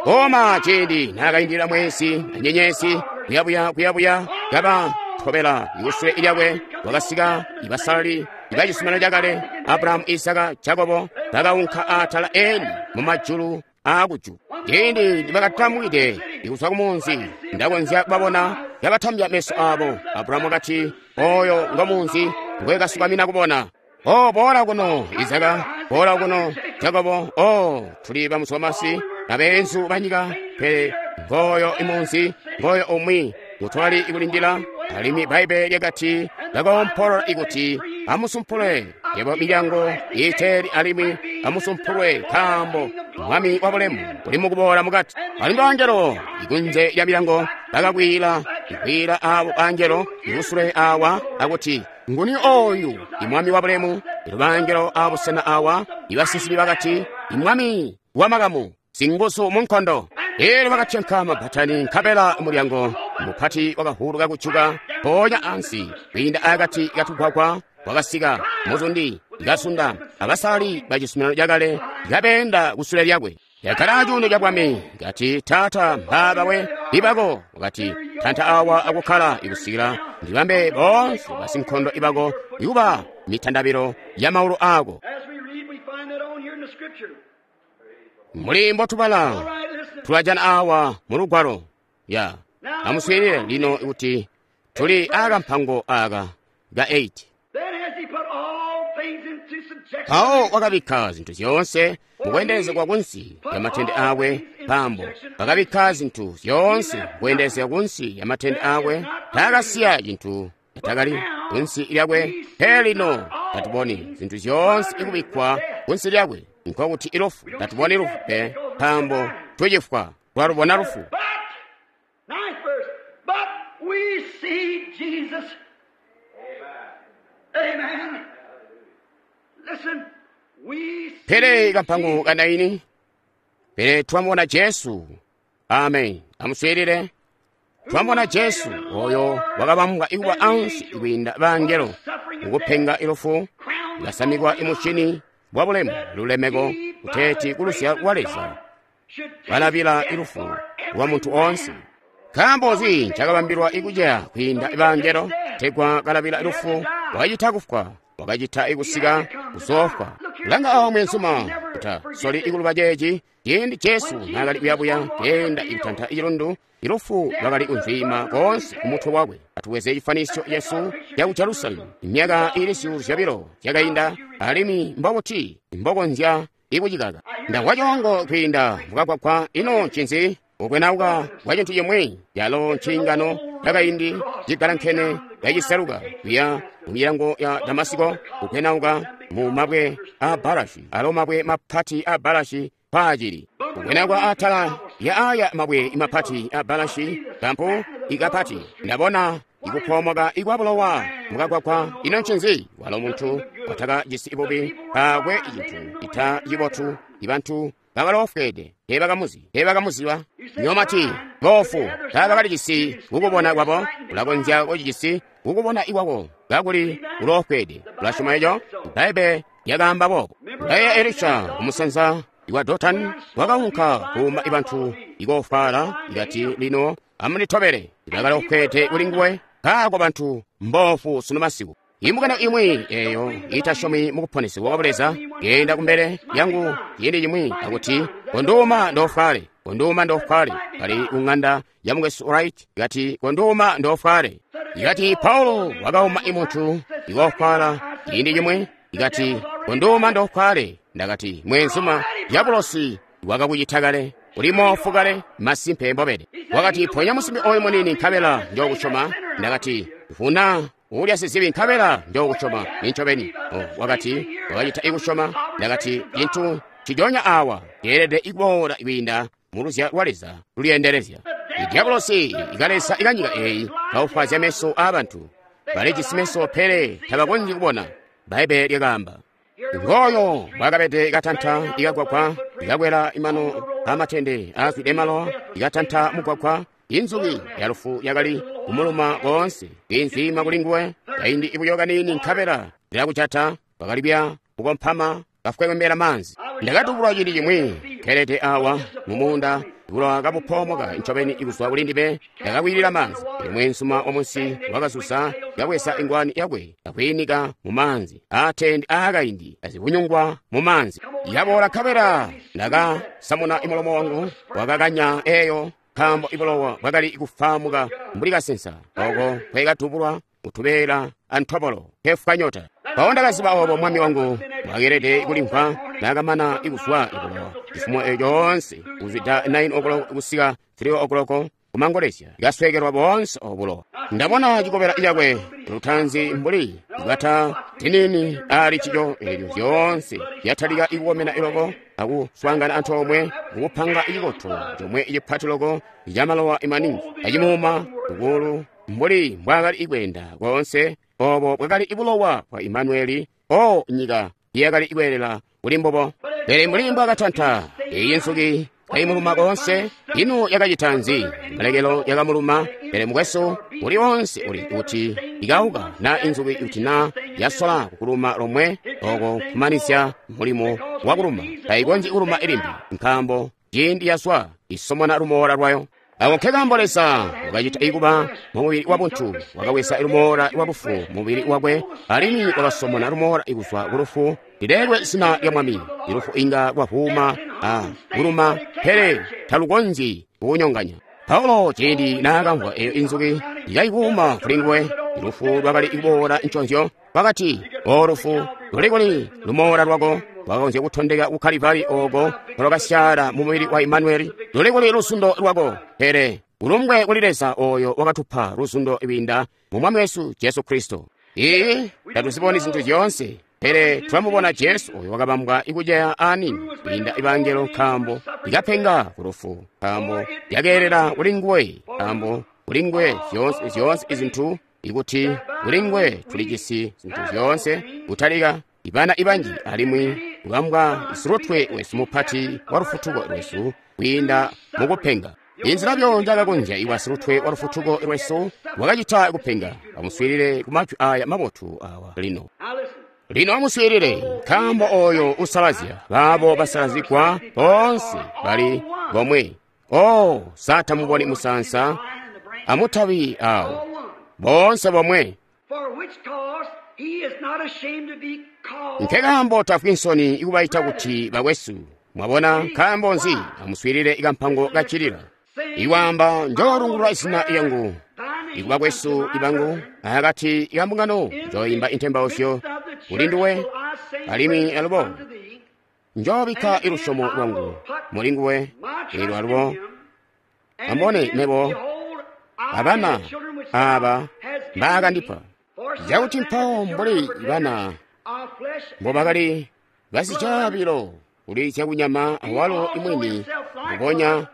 Koma ciindi naakaindilila mwezi anyenyezi kuyabuya kuyabuya kaba tobela ikusule lyakwe, wakasika ibasalali ibacizuminano cakale, Abrahamu, Isaka, Jakobo, bakaunka atala eni mumajulu aakujulu. Ciindi nibakatamwide ikuzwa kumunzi, ndakonzya kubabona kabatambya meso aabo. Abrahamu wakati, oyo ngo munzi ngwekasukamina kubona. O boola kuno Isaka, boola kuno Jakobo. O tuli bamuzwamasi abeenzu banyika, pele ngoyo imunzi, ngoyo umwi ngutwali ikulindila. Alimwi Bbaibbele lyakati bakoompolola ikuti amusumpulwe yebo milyango iiteeli, alimwi amusumpulwe nkaambo mwami wabulemu uli mukuboola mukati. Alimwi bangelo ikunze lya milyango bakakwiila ikwiila aabo bangelo ikusule awa akuti, nguni oyu imwami wabulemu? Elyo bangelo abusena awa ibasinsimi bakati, imwami wamakamu singuzu munkondo. Elyo bakatyanka mabbatani, nkabela mulyango mupati wakahuluka kujuka mpoonya ansi kwiinda akati katugwagwa Wakasika muzundi, kasunda abasali bacizuminano cakale kabeenda kusule lyakwe. Yakkala acuuno cabwami, kati, Taata, mbaaba we ibako. Wakati, Tanta awa akukkala ikusikila ndibambe boonse basinkondo ibako ikuba mitandabilo ya maulu ako. As we read, we find that on here in the scripture. Muli mbotubala All right, listen. tulajana awa mu lugwalo ya amuswiilile lino kuti tuli akampango aka ka 8. Then has he put all things into subjection. Mpawo wakabikka zinthu zyoonse mukuyendezekwa kunsi ya matende akwe pambo wakabikka zinthu zyoonse mukuyendezeka kunsi ya matende akwe takasiya chinthu chatakali kunsi lyakwe. Pele lino tatuboni zinthu zyoonse ikubikkwa kunsi lyakwe, nkokuti ilufu. Tatuboni lufu pe, pambo tuchifwa twalubona lufu. But, ninth verse, but we see Jesus. Amen. Listen, we see Pele kampango kanaini, pele twamubona Jesu. Amen. Amuswiilile. Twamubona Jesu oyo wakabambwa ikuba ansi kwiinda bangelo mukupenga ilufu, lasamikwa imushini bwa bulemu lulemeko kuteeti kulusya lwa Leza balabila ilufu lwa munthu onse. Nkaambo nzi ncakabambilwa ikuceya kwiinda bangelo tegwa kalabila ilufu? Wakacita kufwa, wakacita ikusika kuzofwa. Langa awo mwenzuma kuta soli ikuluba ceeci. Ciindi Jesu naakali kuyabuya kuyenda ikutanta icilundu, ilufu lwakali kunzwiima koonse kumutwe wakwe. Atuweze chifanisyo Yesu cha ku Jerusalemu imyaka ili 200 yakayinda, alimwi mbokuti mbokonzya ikucikaka. Ndamva coongo kwiinda mukagwagwa. Ino ncinzi? Ukwenauka kwa chinthu chimwe yalo nchingano chakaindi chigalankene yachiseluka kuya mu milango ya Damasiko, ukwenauka mu mabwe a Barashi, alo mabwe mapati a Barashi paachili ukwenauka atala ya aya mabwe mapati a Barashi kampu ikapati. Ndabona ikuphomoka ikwabulowa mukagwagwa. Ino ncinzi? Walo munthu wataka cisi ibubi pakwe chinthu ita chibotu. Ibantu bakalofwede tebakamuzi tebakamuziba. Nyomati bofu tabakalicisi kukubona kwabo. Ulakonzya kucicisi kukubona ikwako kakuli ulofwede. Ulasyoma eco? Bbaibele lyakaamba boobo. Ngaye Elisha kumusanza iwa Dotani wakaunka kuuma ibantu ikofwala, ikati, lino amunditobele. Bakalofwede kuli nguwe. Kaako bantu mbofu sunu masiku. Imbungano imwi eyo itasyomi mukuponesebwa kwa Buleza yenda kumbele yangu ciindi cimwi akuti, konduuma ndofwale, konduuma ndofwale. Kali kung'anda ya mukwesu Wright, ikati, konduuma ndofwale. Ikati Paulo wakauma imunthu ikofwala ciindi cimwi, ikati, konduuma ndofwale. Ndakati, mwenzuma, diabulosi wakakuchita kale, uli mofu kale, masimpe mbobede. Wakati, ponya musimbi oyu munini nkabela njokusyoma. Ndakati, vuna ulya sizibi nkabela njokusyoma nincobeni. Oh, wakati wakacita ikusyoma. Ndakati, cinthu cijonya awa ceelede ikuboola kwiinda muluzya lwa Leza lulyendelezya. Idiabulosi ikalesa ikanyika eyi kaufwazya meso aabantu. Balijisi meso pele tabakonzyi kubona. Bbaibele lyakaamba. Ngoyo bwakabede ikatanta ikagwagwa, ikakwela imano amatende aazwide malowa, ikatanta mugwagwa. Inzuki ya lufu yakali kumuluma koonse, inzwiima kuli nguwe. Kaindi ibuyo kanini nkabela lyakucata bakalibya kukompama kafwekembera manzi. Ndakatubulwa ciindi cimwi kelete awa mumuunda bulowa kabupoomoka ncobeni ikuzwa kuli ndime. Ndakakwilila manzi. Pele mwenzuma wa munsi wakazuza kabweza ingwani yakwe akwiinika mu manzi aatende aakaindi azibunyungwa mu manzi. Yaboola nkabela ndakasamuna imulomo wangu wakakanya eyo, nkaambo ibulowa bwakali kufamuka mbuli kasensa oko kwekatubulwa kutubeela antobolo kefwa nyota. Mpawo ndakaziba obo mwami wangu bwakeelede kulimvwa naakamana ikuzwa ibulowa cifumo eco coonse kuzwida 9 o'clock kusika 3 o'clock kumangolezya, ikasweekelwa boonse obulowa. Ndabona cikobela cakwe lutanzi mbuli bwata tinini ali cico, eelyo zyoonse zyatalika ikukomena iloko akuswaangana antoomwe kukupanga icikoto comwe icipati loko camalowa imaningi acimuuma ukulu mbuli mbwaakali ikweenda koonse. Obo bwakali ibulowa bwa Imanueli. O nyika iyakali ikweelela kuli mbubo. Pele mbuli mbwaakatanta iyi nsuki Kaimuluma koonse. Ino yakacita nzi? Malekelo yakamuluma. Pele mukwesu, uli onse uli kuti ikauka na inzuki kuti na yasola kukuluma lomwe, oko kumanizya mulimo wa kuluma. Tayikonzyi kuluma ilimbi, nkaambo ciindi yazwa isomona lumoola lwayo. Ako nkekaambo Leza wakacita ikuba mumubili wa buntu, wakaweza lumoola lwa lufu mubili wakwe, alimwi wakasomona lumoola kuzwa ku lufu. Lilelwe zina lya Mwami. Ilufu inga lwavuuma a kuluma, pele talukonzyi kukunyonganya. Paulo ciindi naakamvwa eyo inzuki ikaikuuma kuli nguwe, lufu lwakali kuboola nconzyo. Wakati, "O lufu, luli kuli lumoola lwako?" Wakakonzya kutondeka ku Kalivari oko lwakasyaala mu mubili wa Imanueli. Luli kuli lusundo lwako? Pele ulumbwe kuli Leza oyo wakatupa lusundo lwiinda mu Mwami wesu Jesu Kristo. Iiyi, tatuziboni zintu zyoonse, pele twamubona Jesu oyo wakabambwa ikuceya ani kwiinda ibangelo, nkaambo ikapenga ku lufu, nkaambo yakeelela kuli nguwe, nkaambo kuli nguwe zyoonse izintu, ikuti kuli nguwe tulijisi zintu zyoonse, kutalika ibana ibanji, alimwi kubambwa silutwe wesu mupati wa lufutuko lwesu kwiinda mukupenga. Inzila byo njakakonzya iwa silutwe wa lufutuko lwesu wakacita kupenga. Amuswiilile ku majwi aya mabotu awa lino. Lino amuswiilile, nkaambo oyo usalazya baabo basalazigwa boonse bali bomwe. O satamuboni musansa amutabi awo, boonse bomwe. Nkekaambo tafwi nsoni ikubaita kuti bakwesu. Mwabona, nkaambo nzi? Amuswiilile ikampango kacilila. Iwaamba, njoolungulula izina lyangu ikubakwesu ibangu, akati kambungano njoimba intembauzyo kuli nduwe, alimwi alubo njoobikka ilusyomo lwangu muli nguwe. Elyo alubo ambone mebo abana aba mbaakandipa, cakuti mpawo mbuli bana mbobakali basicaabilo kuli zyakunyama, awalo imwini mbubonya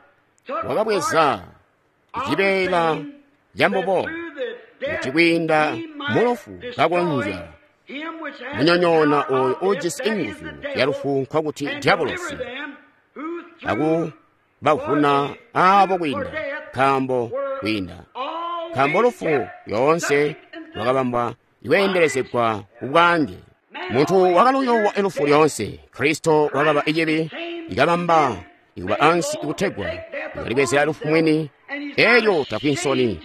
wakabweza cibeela cambubo, kuti kwiinda mulufu kakonzya munyonyoona oyo ujisi inguzu ya lufu, nkokuti diabolosi, akubavuna aabo kwiinda, nkaambo lufu yoonse lwakabambwa iweendelezegwa kubwaange. Muntu wakaluyowa ilufu lyoonse. Kristo wakaba icibi ikabamba ikuba ansi ikutegwa ikalibwezera lufu mwini. Elyo tafwi nsoni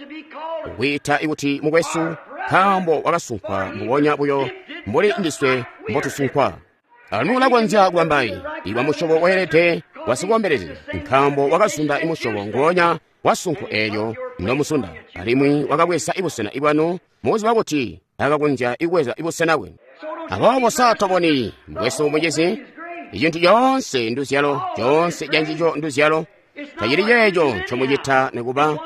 kukwiita ikuti mukwesu, nkaambo wakasunkwa mbubonya buyo mbuli ndiswe mbotusunkwa. Alimwi ulakonzya kubambayi iwa musyobo weelede wasikombelezya, nkaambo wakazunda imusyobo ngoonya wa sunko eelyo nomusunda, alimwi wakabweza ibusena bwanu mukuziba kuti akakonzya ibweza ibusena bwenu. Aboobo saatoboni mukwesu mucizi, icintu coonse nduzyalo, coonse cancico nduzyalo. Tacili ceeco ncomucita nikuba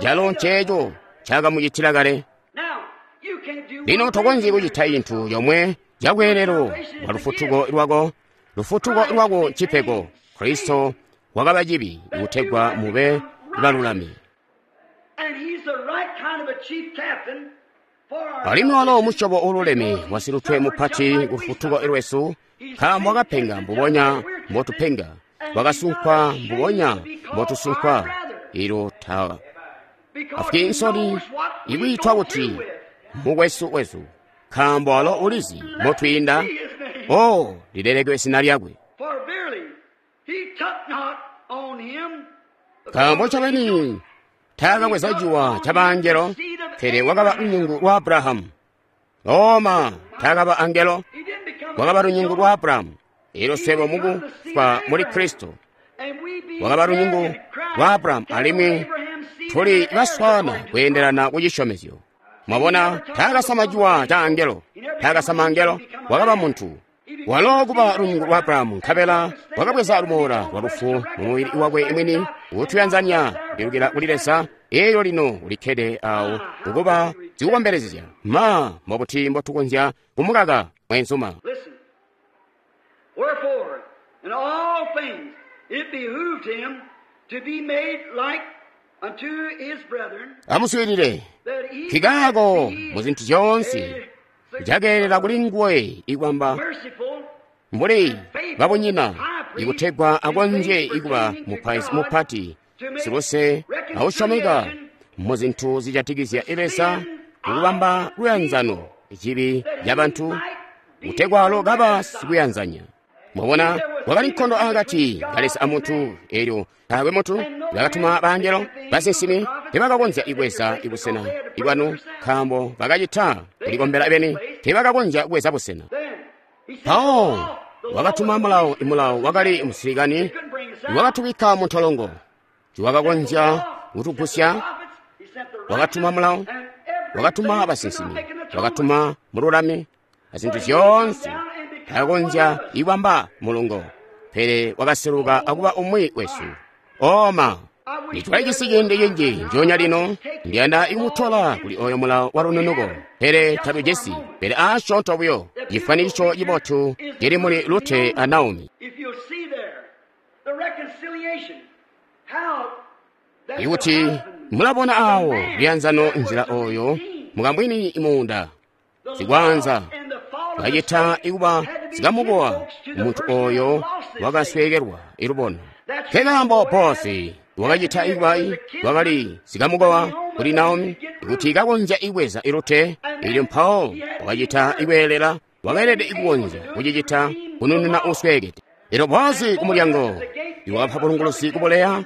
calo nceeco ncaakamucitila kale. Lino tokonzyi kucita cintu comwe cakweelelo bwa lufutuko lwako. Lufutuko lwako ncipego. Kristo wakaba cibi kutegwa mube balulami. Alimwi walo musyobo uululeme wasilutwe mupati ku lufutuko lwesu, nkaambo wakapenga mbubonya mbotupenga, wakasunkwa mbubonya mbotusunkwa. Ilo tafwi nsoni ikwiitwa kuti mukwesu wesu, nkaambo walo ulizi motwiinda. O lilelekwe zina lyakwe. Nkaambo ncobeni taakabweza ciwa ca baangelo, pele wakaba lunyungu lwa Abrahamu. Oma taakaba angelo, wakaba lunyungu lwa Abrahamu. Elyo swebo mukufwa muli Kristo wakaba lunyungu lwa Abrahamu, alimwi tuli baswana kweendelana ku cisyomezyo. Mwabona, taakasama ciwa ca angelo, taakasama angelo, wakaba muntu. Walo kuba lunyungu lwa Abrahamu, nkabela wakabweza lumoola lwa lufu mu mubili wakwe mwini, kutuyanzanya kupilukila kuli Leza. Elyo lino ulikkede awo kukuba zikukombelezya. Ma mbobuti mbotukonzya kumukaka mwenzuma? Wherefore, in all things it behooved him to be made like unto his brethren, Amuswiilile, that he nkikaako might be mu zintu zyoonse a cakeelela kuli nguwe ikwamba merciful mbuli babunyina ikutegwa akonzye ikuba mupaizi mupati siluse ausyomeka mu zintu zijatikizya Leza kukubamba luyanzano cibi cabantu kutegwa alo kaba sikuyanzanya. Mwabona, wakali nkondo akati ka Leza amuntu, elyo taakwe muntu bakatuma baangelo basinsimi tebakakonzya ibweza ibusena ibwanu, nkaambo bakacita kulikombela beni, tebakakonzya kubweza busena. Mpawo wakatuma mulawo, imulawo wakali musilikani wakatubikka mu ntolongo, tiwakakonzya kutugusya. Wakatuma mulawo, wakatuma basinsimi, wakatuma mululami, azintu zyoonse takakonzya ibamba mulungo, pele wakaseluka akuba umwi wesu. Oma nitwalijisi ciindi cinji njoonya lino ndiyanda ikumutola kuli oyo mulawo wa lununuko, pele tatujisi, pele asyoonto buyo cifwanikiso cibotu cili muli Rute a Naomi. Ikuti mulabona awo luyanzano nzila oyo mukamwini muunda zikwanza kacita ikuba zikamukowa muntu oyo wakasweekelwa ilubono. Nkekaambo Boazi wakacita ikuba wakali zikamukowa kuli Naomi ikuti kakonzya ibweza Rute, elyo mpawo wakacita ikweelela, wakeelede ikukonzya kucicita kunununa usweekede. Elyo Boazi kumulyango iwakapa bulunguluzi kubuleya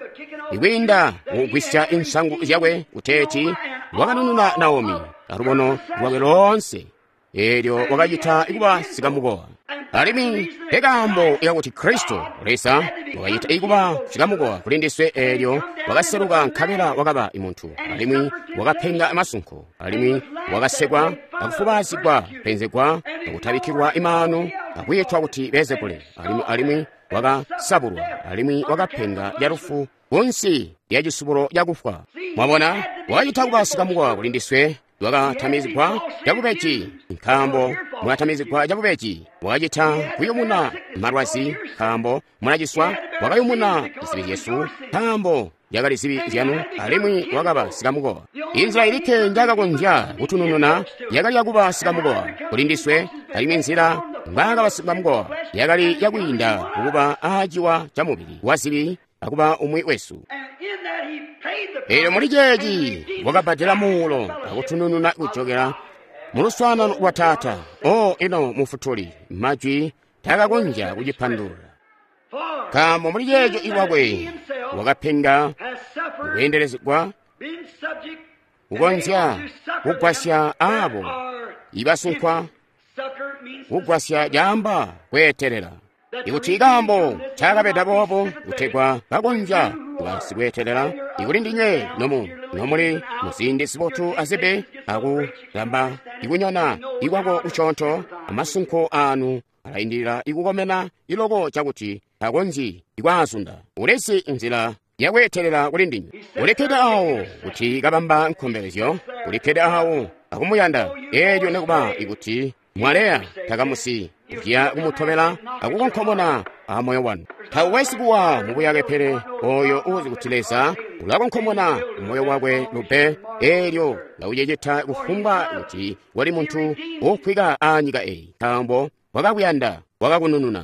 ikwiinda mukugwisya insangu zyakwe kuteeti wakanununa Naomi alubono lwakwe loonse, elyo wakacita ikuba sikamukowa. Alimwi nkekaambo ikakuti Kristo Leza wakacita ikuba sikamukowa kuli ndiswe, elyo wakaseluka nkabela wakaba imuntu, alimwi wakapenga amasunko, alimwi wakasekwa akufubazigwa, penzegwa akutabikkilwa imaanu, akwiitwa kuti Beelzebule, alimwi wakasabulwa, alimwi wakapenga lyalufu kunsi lya cisubulo cakufwa. Mwabona, wakacita kuba sikamukowa kuli ndiswe, wakatamizigwa cabubeji, nkaambo mwakatamizigwa cabubeji. Wakacita kuyumuna malwazi, nkaambo mulaciswa. Wakayumuna zibi zyesu, nkaambo yakali zibi zyanu, alimwi wakaba sikamukowa. Inzila ilikke njakakonzya kutunununa yakali yakuba sikamukowa kuli ndiswe, alimwi nzila mbwaakaba sikamukowa yakali yakwiinda kukuba aaciwa ca mubili wa zibi akuba umwi wesu. Elyo muli ceeci wakabbadela muulo akutunununa kujokela muluswaanano lwa Taata. O ino Mufutuli, majwi takakonzya kucipandulula, nkaambo muli ceeco iwakwe wakapenga kuyendelezegwa kukonzya kugwasya aabo ibasunkwa, kugwasya caamba kweetelela. Ikuti ikaambo ncaakabeda boobo kutegwa kakonzya kuba sikweetelela, ikuli ndinywe nomuli muziindi zibotu azibe akulamba ikunyona ikwako kucoonto, amasunko aanu alaindilila ikukomena iloko cakuti takonzyi ikwaazunda. Ulezi nzila yakweetelela kuli ndinywe. Ulikkede awo kuti kabamba nkombelezyo, ulikkede awo akumuyanda, eelyo nekuba ikuti mwaleya takamusi kuya kumutobela akukonkomona amoyo wanu. Tawesi kuwa mubuyake, pele oyo uzi kuti Leza ulakonkomona moyo wakwe lube, eelyo lauceceta kufumbwa kuti wali muntu wokwika anyika eyi, nkaambo wakakuyanda, wakakunununa.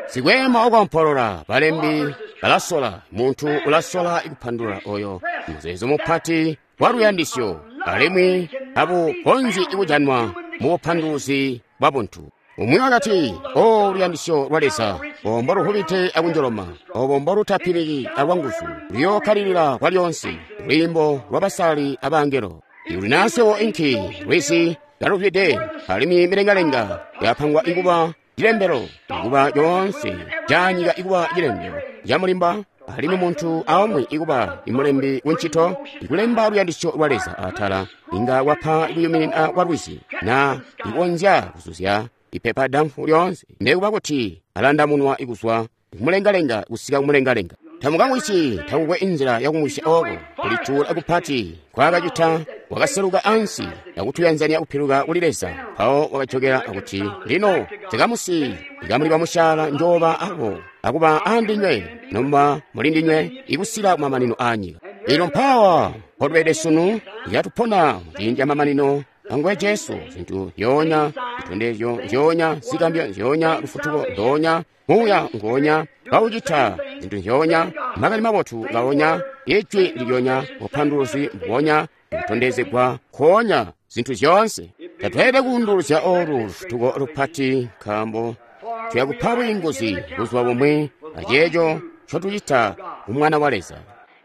Sikweema okompolola, balembi balasola, muntu ulasola kupandulula oyo muzeezo mupati wa luyandisyo, alimwi tabukonzyi kujanwa mu bupanduluzi bwa buntu. Umwi wakati, o luyandisyo lwa Leza, obo mboluhubite akunjoloma, obo mbolutapiliki alwanguzu, luyookkalilila kwalyonse, lwiimbo lwabasali abangelo. Ikuti naasewo inki lwizi kaluzwide, alimwi milengalenga yapangwa ikuba cilembelo, ikuba yoonse canyika ikuba cilembelo camulimba, alimwi muntu aumwi ikuba imulembi kuncito ikulemba luyandisyo lwa Leza atala, inga wapa kuyuminina kwa lwizi, na ikonzya kuzuzya ipepa damfu lyoonse, nekuba kuti alandamunwa ikuzwa kumulengalenga kusika kumulengalenga. Tamukamwisi, takukwe inzila yakumwisya oko kulituula kupati kwakacita. Wakaseluka ansi akutuyanzania kupiluka kuli Leza. Mpawo wakajokela akuti, lino tekamusi ikamuli bamusyaala njoba abo akuba andinywe nomuba muli ndinywe ikusika kumamanino anyika. Ino mpawa mpotubede sunu yatupona muciindi ca mamanino anguwe Jesu, zintu zyoonya, zitondezyo zyoonya, zigambyo zyoonya, lufutuko ndoonya, muuya ngoonya, kaucita zintu zyoonya, makani mabotu kaonya, ijwi lilyonya, bupanduluzi mbubonya, kutondezegwa koonya, zintu zyoonse. Tatweelede kuunduluzya olu lufutuko lupati, nkaambo tuyakupa bwiinguzi buzuba bumwi aceeco ncotucita ku Mwana wa Leza.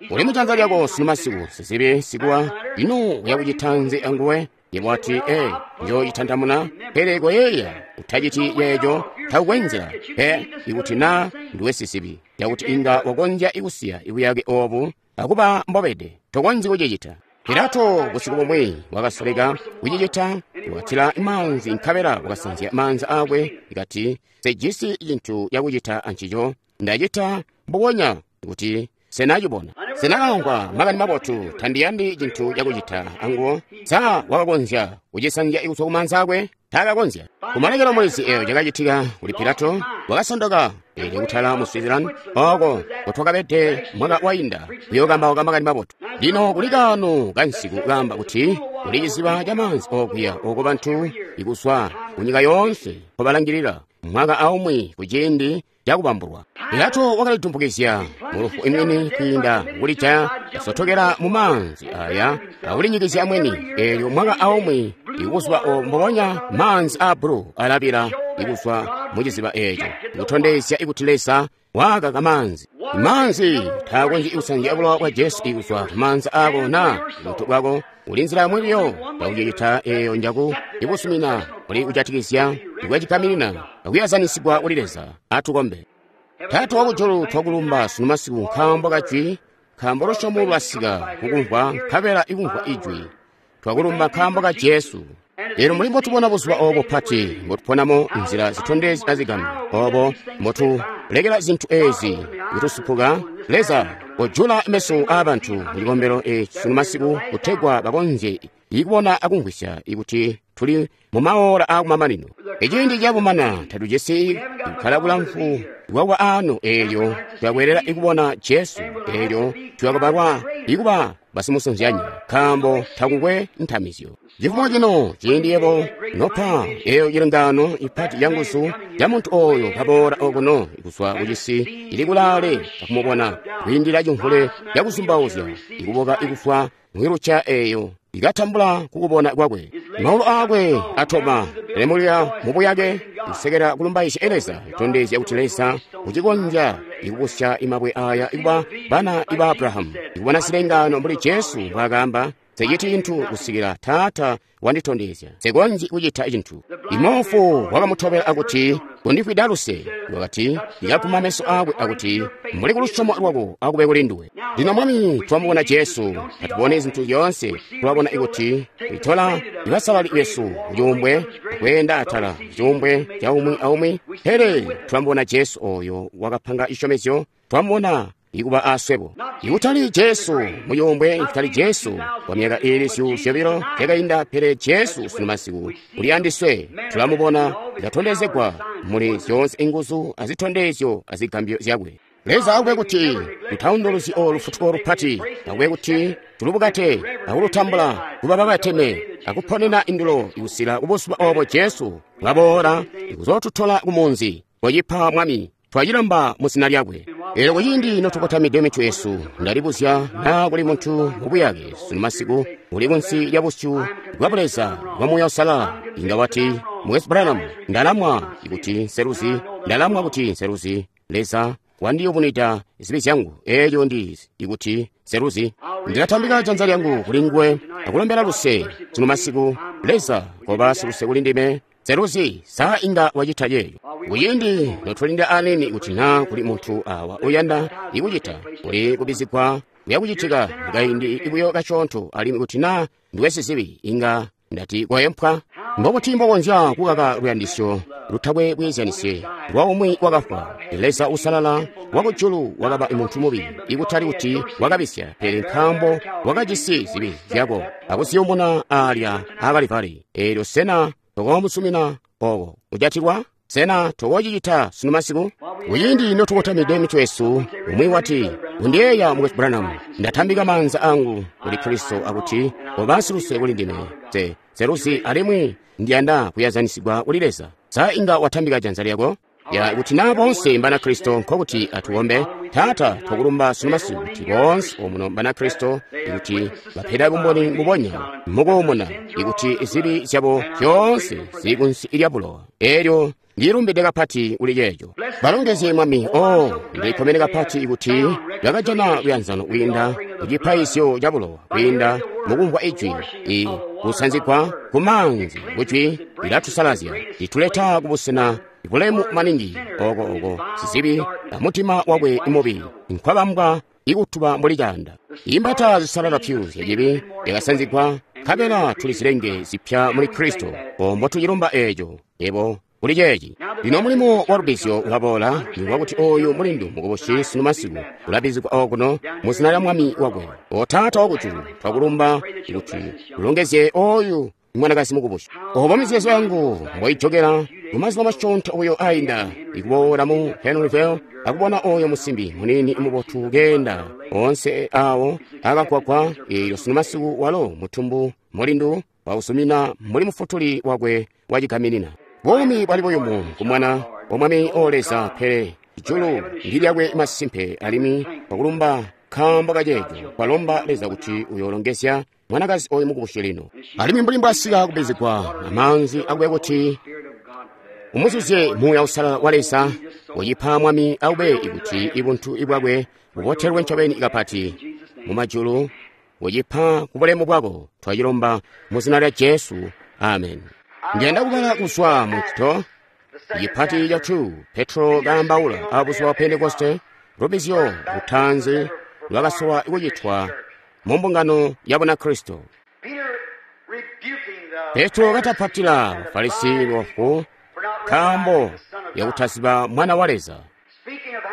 Uli mujanza lyako sunu masiku, sizibi sikuwa, ino uyakucita nzi anguwe? Yebo wati, ee, njoocitantamuna, pele koyeeya, utaciti yeeco, takukwe nzila. Pe, ikuti naa nduwe sizibi, yakuti inga wakonzya ikusiya ibuyake obu akuba mbobede, tokonzyi kucicita. Pilato busiku bumwi wakasoleka kucicita, wakatila maanzi nkabela wakasanzya maanza aakwe, kati, sejisi cintu cakucita ancico, ndacita mbubonya kuti senacibona. Senakamvwa makani mabotu, tandiyandi cintu cakucita anguwo. Sa wakakonzya kucisanzya kuzwa kumaanza aakwe? Taakakonzya. Kumalekelo mwezi eyo cakacitika kuli Pilato, wakasondoka eelyo kutala mu Switzerland, oko kutwakabede mwaka wainda kuyookambauka makani mabotu. Lino kuli kaano kansiku kaamba kuti kuli ciziba ca maanzi okuya oko bantu ikuzwa kunyika yoonse nkobalangilila mwaka aumwi kuciindi cakubambulwa. Pilato wakalidumpukizya mulufu imwini kwiinda kulijaya, kasotokela mu maanzi aya akulinyikizya mwini. Eelyo mwaka aumwi ikubuzuba obo mbubonya maanzi aa bulu alabila ikuzwa mu ciziba eeco, ikutondezya ikuti Leza waakaka maanzi. Maanzi taakonzyi kusanzya bulowa bwa Jesu ikuzwa kumaanza aako naa kubutu bwako. Uli nzila yomwe buyo yakucicita eeyo njaku ibusumina kuli kujatikizya ikwacigaminina akuyazanisigwa kuli Leza. Atukombe. Taata wakujulu, twakulumba sunu masiku nkaambo kajwi, nkaambo lusyomo lwasika kukumvwa nkabela ikumvwa ijwi. Twakulumba nkaambo ka Jesu. Lero muli mbotubona buzuba obo bupati mbotuponamo nzila zitondezya zigambyo, obo mbotulekela zintu ezi kutusupuka. Leza, kojula meso aabantu mu cikombelo eci sunu masiku kutegwa bakonzye ikubona akumvwisya ikuti tuli mu maora aakumamanino. Iciindi cabumana tatujisi kukkala bulamfu bwakuba ano, eelyo tuyakweelela ikubona Jesu, eelyo tuyakubalwa ikuba basimusunzyanya, nkaambo takukwe ntamizyo. Cifumo cino ciindi yebo nopa eyo cilengano ipati ya nguzu ya muntu oyo kaboola okuno kuzwa kucisi cili kulaale akumubona kwiindila cimvule cakuzumbauzya ikuboka ikufwa mwiluca eyo ikatambula kukubona kwakwe. Maulu aakwe atoma lemulya mubuyake kusekela kulumbaisya Leza, itondezya kuti Leza ucikonzya ikubusya imabwe aya ikuba bana iba Abrahamu, ikubona zilengano mbuli Jesu mbwaakamba, sechiti cinthu kusikila Taata wanditondezya, sekonzi kuchita chinthu. Imofu wakamutobela akuti, kundifwida luse. Wakati ndikaguma meso akwe akuti, mbuli kulusyomo lwako akube kuli nduwe. Lino Mwami, twamubona Jesu, tatubone zinthu zyoonse, tulabona ikuti itola ibasalali besu kucuumbwe akweenda atala kucuumbwe ca umwi aumwi, pele twamubona Jesu oyo wakapanga cisyomezyo, twamubona ikuba aswebo. Ikutali Jesu mucuumbwe, ikutali Jesu kwa myaka ili 200 yakainda, pele Jesu sunu masiku uli andiswe. Tulamubona katondezegwa muli zyoonse inguzu azitondezyo azigambyo zyakwe. Leza akube kuti tutaunduluzi olu lufutuko lupati, akube kuti tulubukate akulutambula kuba babateme akuponena indulo ikusila kubuzuba obo Jesu bwaboola ikuzootutola kumunzi. Kocipa Mwami, twacilomba mu zina lyakwe. Eelyo kuciindi notukotamide mitwe yesu, ndalibuzya naa kuli muntu mubuyake sunu masiku uli kunsi lya busyu bwa Buleza bwa Muuya Uusalala, inga wati, Mukwesu Branham, ndalamwa kuti nseluzi, ndalamwa kuti nseluzi. Leza wandiyubunwida zibi zyangu, eelyo ndizi ikuti nseluzi. Ndilatambika janza lyangu kuli nguwe akulombela luse sunu masiku. Leza koba siluse kuli ndime, nseluzi. Sa inga wacita yeeyo? Kuciindi notulinda anini kuti naa kuli muntu awa uyanda ikucita kuli kubizigwa kuyakucitika mukaindi ibuyo kasyoonto, alimwi kuti naa ndiwe sizibi inga ndati koyempwa. Mbobuti mbokonzya kukaka luyandisyo lutakwe bweezyanisye lwa umwi wakafwa? Leza usalala wakujulu wakaba muntu mubi, ikutali kuti wakabisya, pele nkaambo wakajisi zibi zyako akuziyumuna alya a Kalivali. Eelyo sena tokoomusumina oko kujatilwa? Sena tokocicita sunu masiku? Kuciindi notukotamide mitwe yesu, umwi wati, "Undiyeeya, Mukwesu Branham, ndatambika maanza angu kuli Kristo akuti obasiluse kuli ndime. Nseluzi alimwi ndiyanda kuyazanisigwa kuli Leza." Sa inga watambika janza lyako? Ya, kuti na bonse mbana Kristo, nkokuti atuombe. Taata, twakulumba sunu masiku kuti bonse omuno mbana Kristo, ikuti bapeda bumboni mbubonya mukuumuna, ikuti zibi zyabo zyoonse zili kunsi lya bulowa. Elyo ndilumbide kapati kuli ceeco. Balongezye Mwami. Oh, ndilikkomene kapati kuti bakajana luyanzano kwiinda kucipaizyo ca bulowa, kwiinda mukumvwa ijwi, i kusanzigwa kumaanzi kujwi lilatusalazya, lituleta kubusena bulemu maningi oko oko sizibi amutima wakwe mubi nkwabambwa ikutuba mbuli caanda. Imbata zisalala pyu zyacibi yakasanzigwa, nkabela tuli zilenge zipya muli Kristo. Ombo tucilumba eeco ebo kuli ceeci. Lino mulimo wa lubizyo ulaboola, ni wakuti oyu mulindu mukubusi sunu masiku ulabizigwa okuno mu zina lya Mwami wakwe. O Taata wakujulu, twakulumba kuti ulongezye oyu mwanakazi mukubusi. Obo mizeezo yangu mboijokera mumazuba masyoonto oyo ainda, ikuboola mu Henryville akubona oyo musimbi muniini mubotu keenda onse awo akagwagwa. Eelyo sunu masiku walo mutumbu mulindu wausumina mbuli mufutuli wakwe wacigaminina. Buumi bwali buyumu kumwana wa Mwami o Leza, pele ijulu ndi lyakwe masimpe, alimwi twakulumba nkaambo kaceeco. Twalomba Leza kuti uyolongezya mwanakazi oyu mukubusi lino, alimwi mbuli mbwasika kubizigwa amaanzi akube kuti umuzuzye Muuya Uusalala wa Leza. Ucipa Mwami akube ikuti ibuntu ibwakwe bubotelwe ncobeni kapati mumajulu. Ucipa kubulemu bwako. Twacilomba mu zina lya Jesu, amen. Ndiyanda kubala kuzwa mu Ncito cipati ca 2, Petro kaambaula abuzuba bwa Pentekoste, lubizyo lutaanzi lwakasowa kucitwa mu mbungano ya Bunakristo. Petro katapatila Bafarisi bofu nkaambo yakutaziba Mwana wa Leza,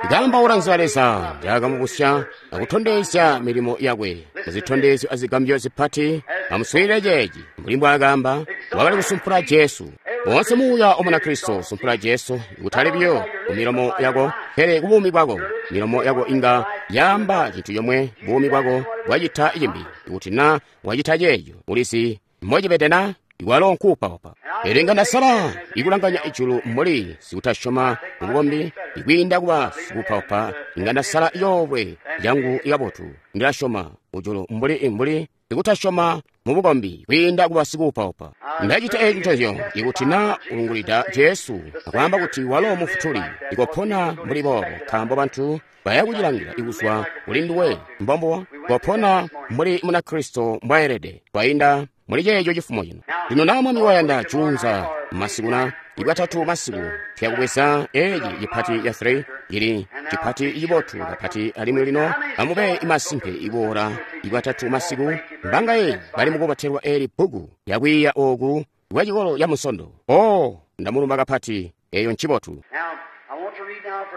ikaambaula nzila Leza njakamubusya akutondezya milimo yakwe muzitondezyo azigambyo zipati. Amuswiilile ceeci, mbuli mbwaakaamba, wakali kusumpula Jesu. Woonse muuya wa Munakristo usumpula Jesu, kutali buyo kumilomo yako, pele kubuumi bwako. Milomo yako inga yaamba cintu comwe, buumi bwako bwacita cimbi. Ikuti na wacita ceeco, ulizi mbocibede na? Iwalo nkuupaupa. Pele inga ndasala ikulanganya ijulu mbuli sikutasyoma mubukombi, ikwiinda kuba sikuupaupa. Inga ndasala yoobwe yangu ikabotu. Ndilasyoma ujulu mbuli sikutasyoma mubukombi kwiinda kuba sikuupaupa. Ndacita eeci ncozyo ikuti na ulungulida Jesu akwaamba kuti walo mufutuli, ikopona mbuli boobo, nkaambo bantu bayakucilangila ikuzwa kuli nduwe. Mbombo kopona mbuli Munakristo mbwaelede kwainda muli ceeco cifumo cino. Lino na Mwami wayanda, juunza masikuna ibwatatu masiku tuyakubweza eeci cipati ca 3, ili cipati cibotu kapati. Alimwi lino amube masimpe iboola ibwatatu masiku mbangaye bali mukubotelwa eli bbuku lyakwiiya oku kwa cikolo ca Musondo. O, ndamulumba kapati, eyo ncibotu.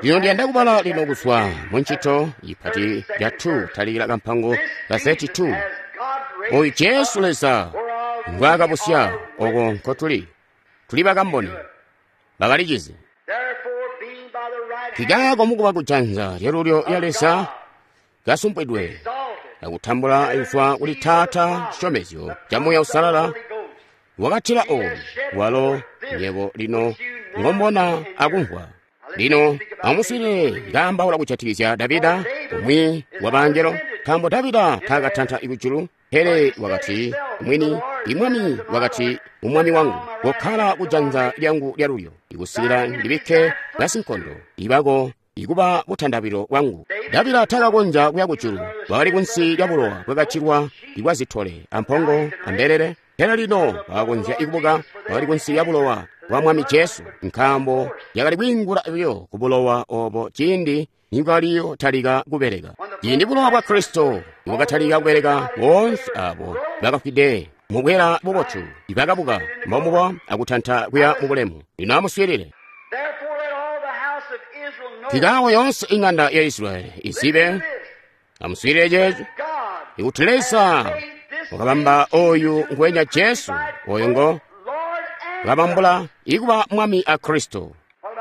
Lino ndiyanda kubala lino kuzwa mu Ncito cipati ca 2, talikila kampango ka 32. Oyu Jesu Leza ngwaakabusya, oko nkotuli, tuli bakamboni bakalicizi. Kikaako mukuba kujanza lyalulyo lya Leza kasumpwidwe akutambula kuzwa kuli Taata cisyomezyo ca Muuya Uusalala, wakatila oyu walo nywebo lino ngombona akumvwa. Lino amuswiilile kaambaula kujatikizya Davida, umwi wa bangelo, nkaambo Davida taakatanta kujulu, pele wakati mwini, imwami wakati umwami wangu, kokkala kujanza lyangu lyalulyo ikusikila ndibikke basinkondo ibako ikuba butandabilo bwangu. Davida taakakonzya kuya kujulu, wakali kunsi lya bulowa bwakacilwa ibwa zitole ampongo ambelele, pele lino wakakonzya ikubuka, wakali kunsi lya bulowa bwa Mwami Jesu, nkaambo yakali kwiingula buyo ku bulowa obo ciindi nibwaliyotalika kubeleka. Ciindi bulowa bwa Kristo nibwakatalika kubeleka, boonse abo bakafwide mubwela bubotu ibakabuka mbomubo akutanta kuya mu bulemu. Lino amuswiilile. Kikaako yoonse ing'anda ya Israeli izibe, amuswiilile ceeco, ikuti Leza wakabamba oyu nguwenya Jesu, oyo ngo wakabambula ikuba Mwami a Kristo.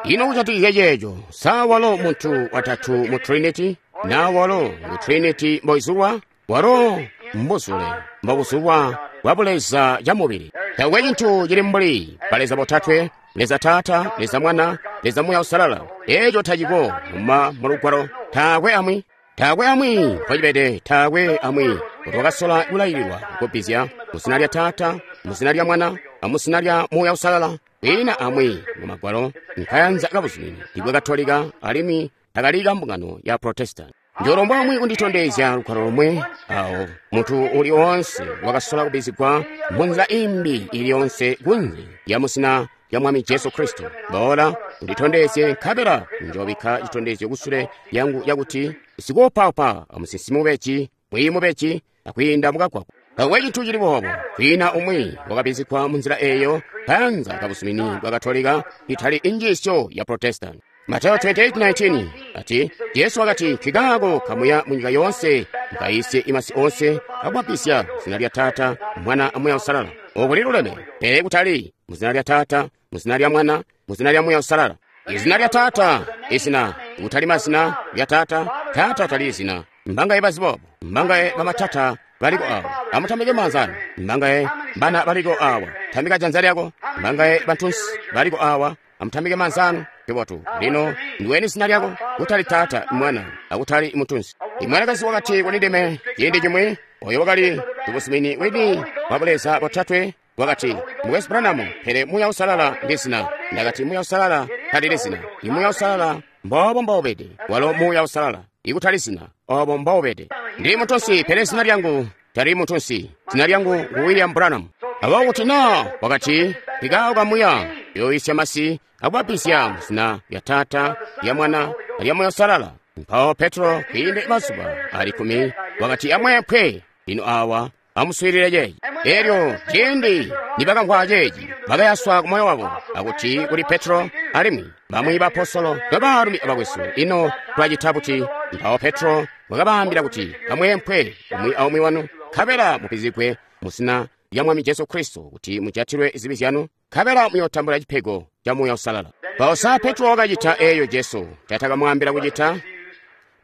Ino kujatikizya ceeco, sa walo muntu watatu mu Trinity? Na walo ngu Trinity mboizulwa? Walo mbuzule mbobuzulwa bwa buleza camubili. Taakwe cintu cili mbuli baleza botatwe, Leza Taata, Leza Mwana, Leza Muuya Uusalala. Eeco taciko muma mulugwalo. Taakwe amwi. Taakwe amwi mpocibede, taakwe amwi kuti wakasola kulaililwa kubbizya mu zina lya Taata, mu zina lya Mwana, amu zina lya Muuya Uusalala. Kwiina amwi mu Magwalo nkayanza kabuzumini ibwa Katolika alimwi takali kambungano ya Protestant. Njolomba amwi kunditondezya lugwalo lomwe awo munthu uli onse wakasola kubbizigwa munzila imbi iliyonse kunze ya muzina lya Mwami Jesu Kristo. Boola unditondezye nkabela njobikka chitondezyo kusule yangu yakuti sikuupaupa amusinsimi mubeji, mwiiyi mubeji, akwiinda mukagwagwa. Taakwe cintu cili boobo. Kwiina umwi wakabbizigwa munzila eeyo kayanza kabuzumini bwa Katolika itali injiisyo ya Protestant. Mateyo 28:19 ati Yesu wakati nkikaako kamuya mu nyika yonse mukayisye imasi onse akubabbizya mu zina lya Taata, Mwana aMuuya Uusalala. Oku liluleme, pele kutali mu zina lya Taata, mu zina lya Mwana, mu zina lya Muuya Uusalala. Izina lya Taata, izina, kutali mazina lya Taata, Taata tali izina. Mbangaye bazi boobo, mbangaye bamatata baliko awa. Amutambike maanza anu. Mbangaye bana baliko awa. Tambika janza lyako. Mbangaye bantunsi baliko awa. Amutambike maanza anu. Kibotu. Lino ndiweni zina lyako, kutali Taata, Mwana, akutali mutunsi. Imwanakazi wakati kuli ndime ciindi cimwi, oyo wakali tubuzumini wini wa buleza botatwe, wakati, Mukwesu Branham, pele Muuya Uusalala ndi zina. Ndakati Muuya Uusalala talili zina. I Muuya Uusalala mboobo mboubede. Walo Muuya Uusalala, ikutali zina, obo mboubede. Ndili mutunsi, pele zina lyangu talili mutunsi. Zina lyangu ngu William Branham. Aboobo kuti naa wakati, nkikaako kamuya yoyisya masi akubabbizya mu zina lya Taata, lya Mwana, lya Muuya Uusalala. Mpawo Petro kwiinde mazuba ali kkumi wakati amweempwe. Lino awa amuswiilile ceeci. Elyo ciindi nibakamvwa ceeci, bakayaswa ku moyo wabo akuti kuli Petro alimwi bamwi baapostolo nobaalumi abakwesu, ino twacita buti? Mpawo Petro wakabaambila kuti amweempwe umwi aumwi wanu, nkabela mubbizigwe mu zina lya Mwami Jesu Kristo kuti mujatilwe zibi zyanu, nkabela muyootambula cipego ca Muuya Uusalala. Mpawo sa Petro wakacita eeyo Jesu ncaatakamwaambila kucita?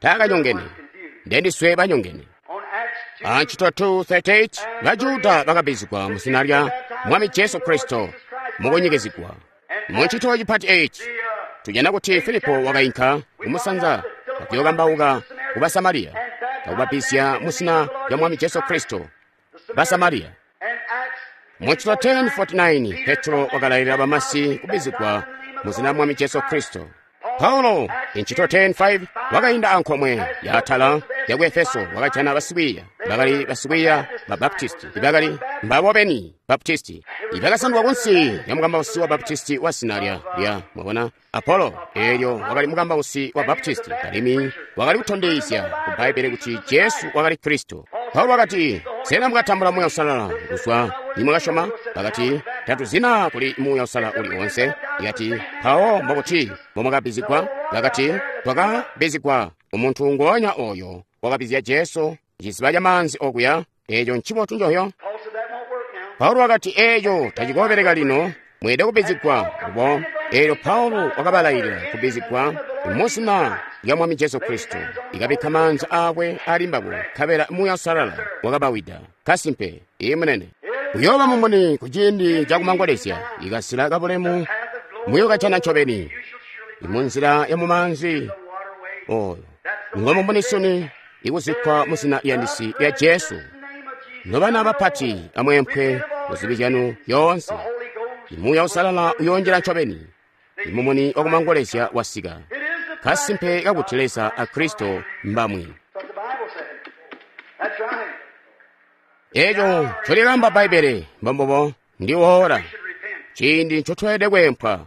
Taakanyongene. Ndendiswe banyongene. Antchito 2:38 Bajuda bakabbizigwa mu zina lya Mwami Jesu Kristo mukunyikizigwa. Mu ntchito chipati 8 tujana kuti Filipo wakainka kumusanza akuyokambauka ku Basamariya akubabbizya mu zina lya Mwami Jesu Kristo. Basamariya. Mu ntchito 10:49 Petro wakalailila bamasi kubbizigwa mu zina lya Mwami Jesu Kristo. Paulo intchito 10:5 wakainda ankomwe yaatala ya ku Efeso wakajana basikwiiya bakali basikwiiya ba Baptisti ibakali mbabo beni Baptisti ibakasandulwa kunsi lya mukambausi wa Baptisti wa zina lya mwabona Apollo. Eelyo wakali mukambausi wa Baptisti alimwi wakali kutondezya ku Bbaibbele kuti Jesu wakali Kristo. Paulo wakati, sena mukatambula Muuya Uusalala kuzwa nimwakasyoma? Bakati, tatuzina kuli Muuya Uusalala uli onse. Ikati, mpawo mbokuti mbomwakabbizigwa? Bakati, twakabbizigwa umuntu ngonya oyo wakabbizya Jesu ciziba ca maanzi okuya. Eeco ncibotu njoyo. Paulo wakati, eeco tacikoobeleka lino, mweelede kubbizigwa lubo. Eelyo Paulo wakabalailila kubbizigwa mu zina lya Mwami Jesu Kristo. Ikabikka maanza aakwe ali mbabo, nkabela Muuya Uusalala wakabawida. Kasimpe, iye munene. Kuyooba mumuni kuciindi cakumangolezya, ikasila kabulemu muyokajana ncobeni. Munzila ya mumaanzi oyo ngomumuni sunu ikuzikkwa mu zina liyandisi lya Jesu. Nobana bapati amweempwe muzibi zyanu yoonse. Muuya Uusalala uyoonjila ncobeni. Imumuni wakumangolezya wasika. Kasimpe kakuti Leza a Kristo mbamwi. Eeco ncolyaamba Bbaibbele mbombubo ndi woora ciindi ncotweelede kweempwa.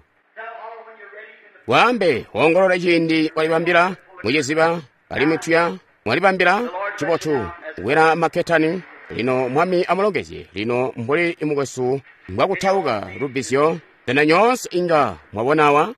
Waambe woongolole ciindi walibambila muciziba alimwi tuya mwalibambila cibotu kukwela makketani. Lino Mwami amulongezye. Lino mbuli mukwesu mbwakutauka lubbizyo, sena nyoonse inga mwabonawa?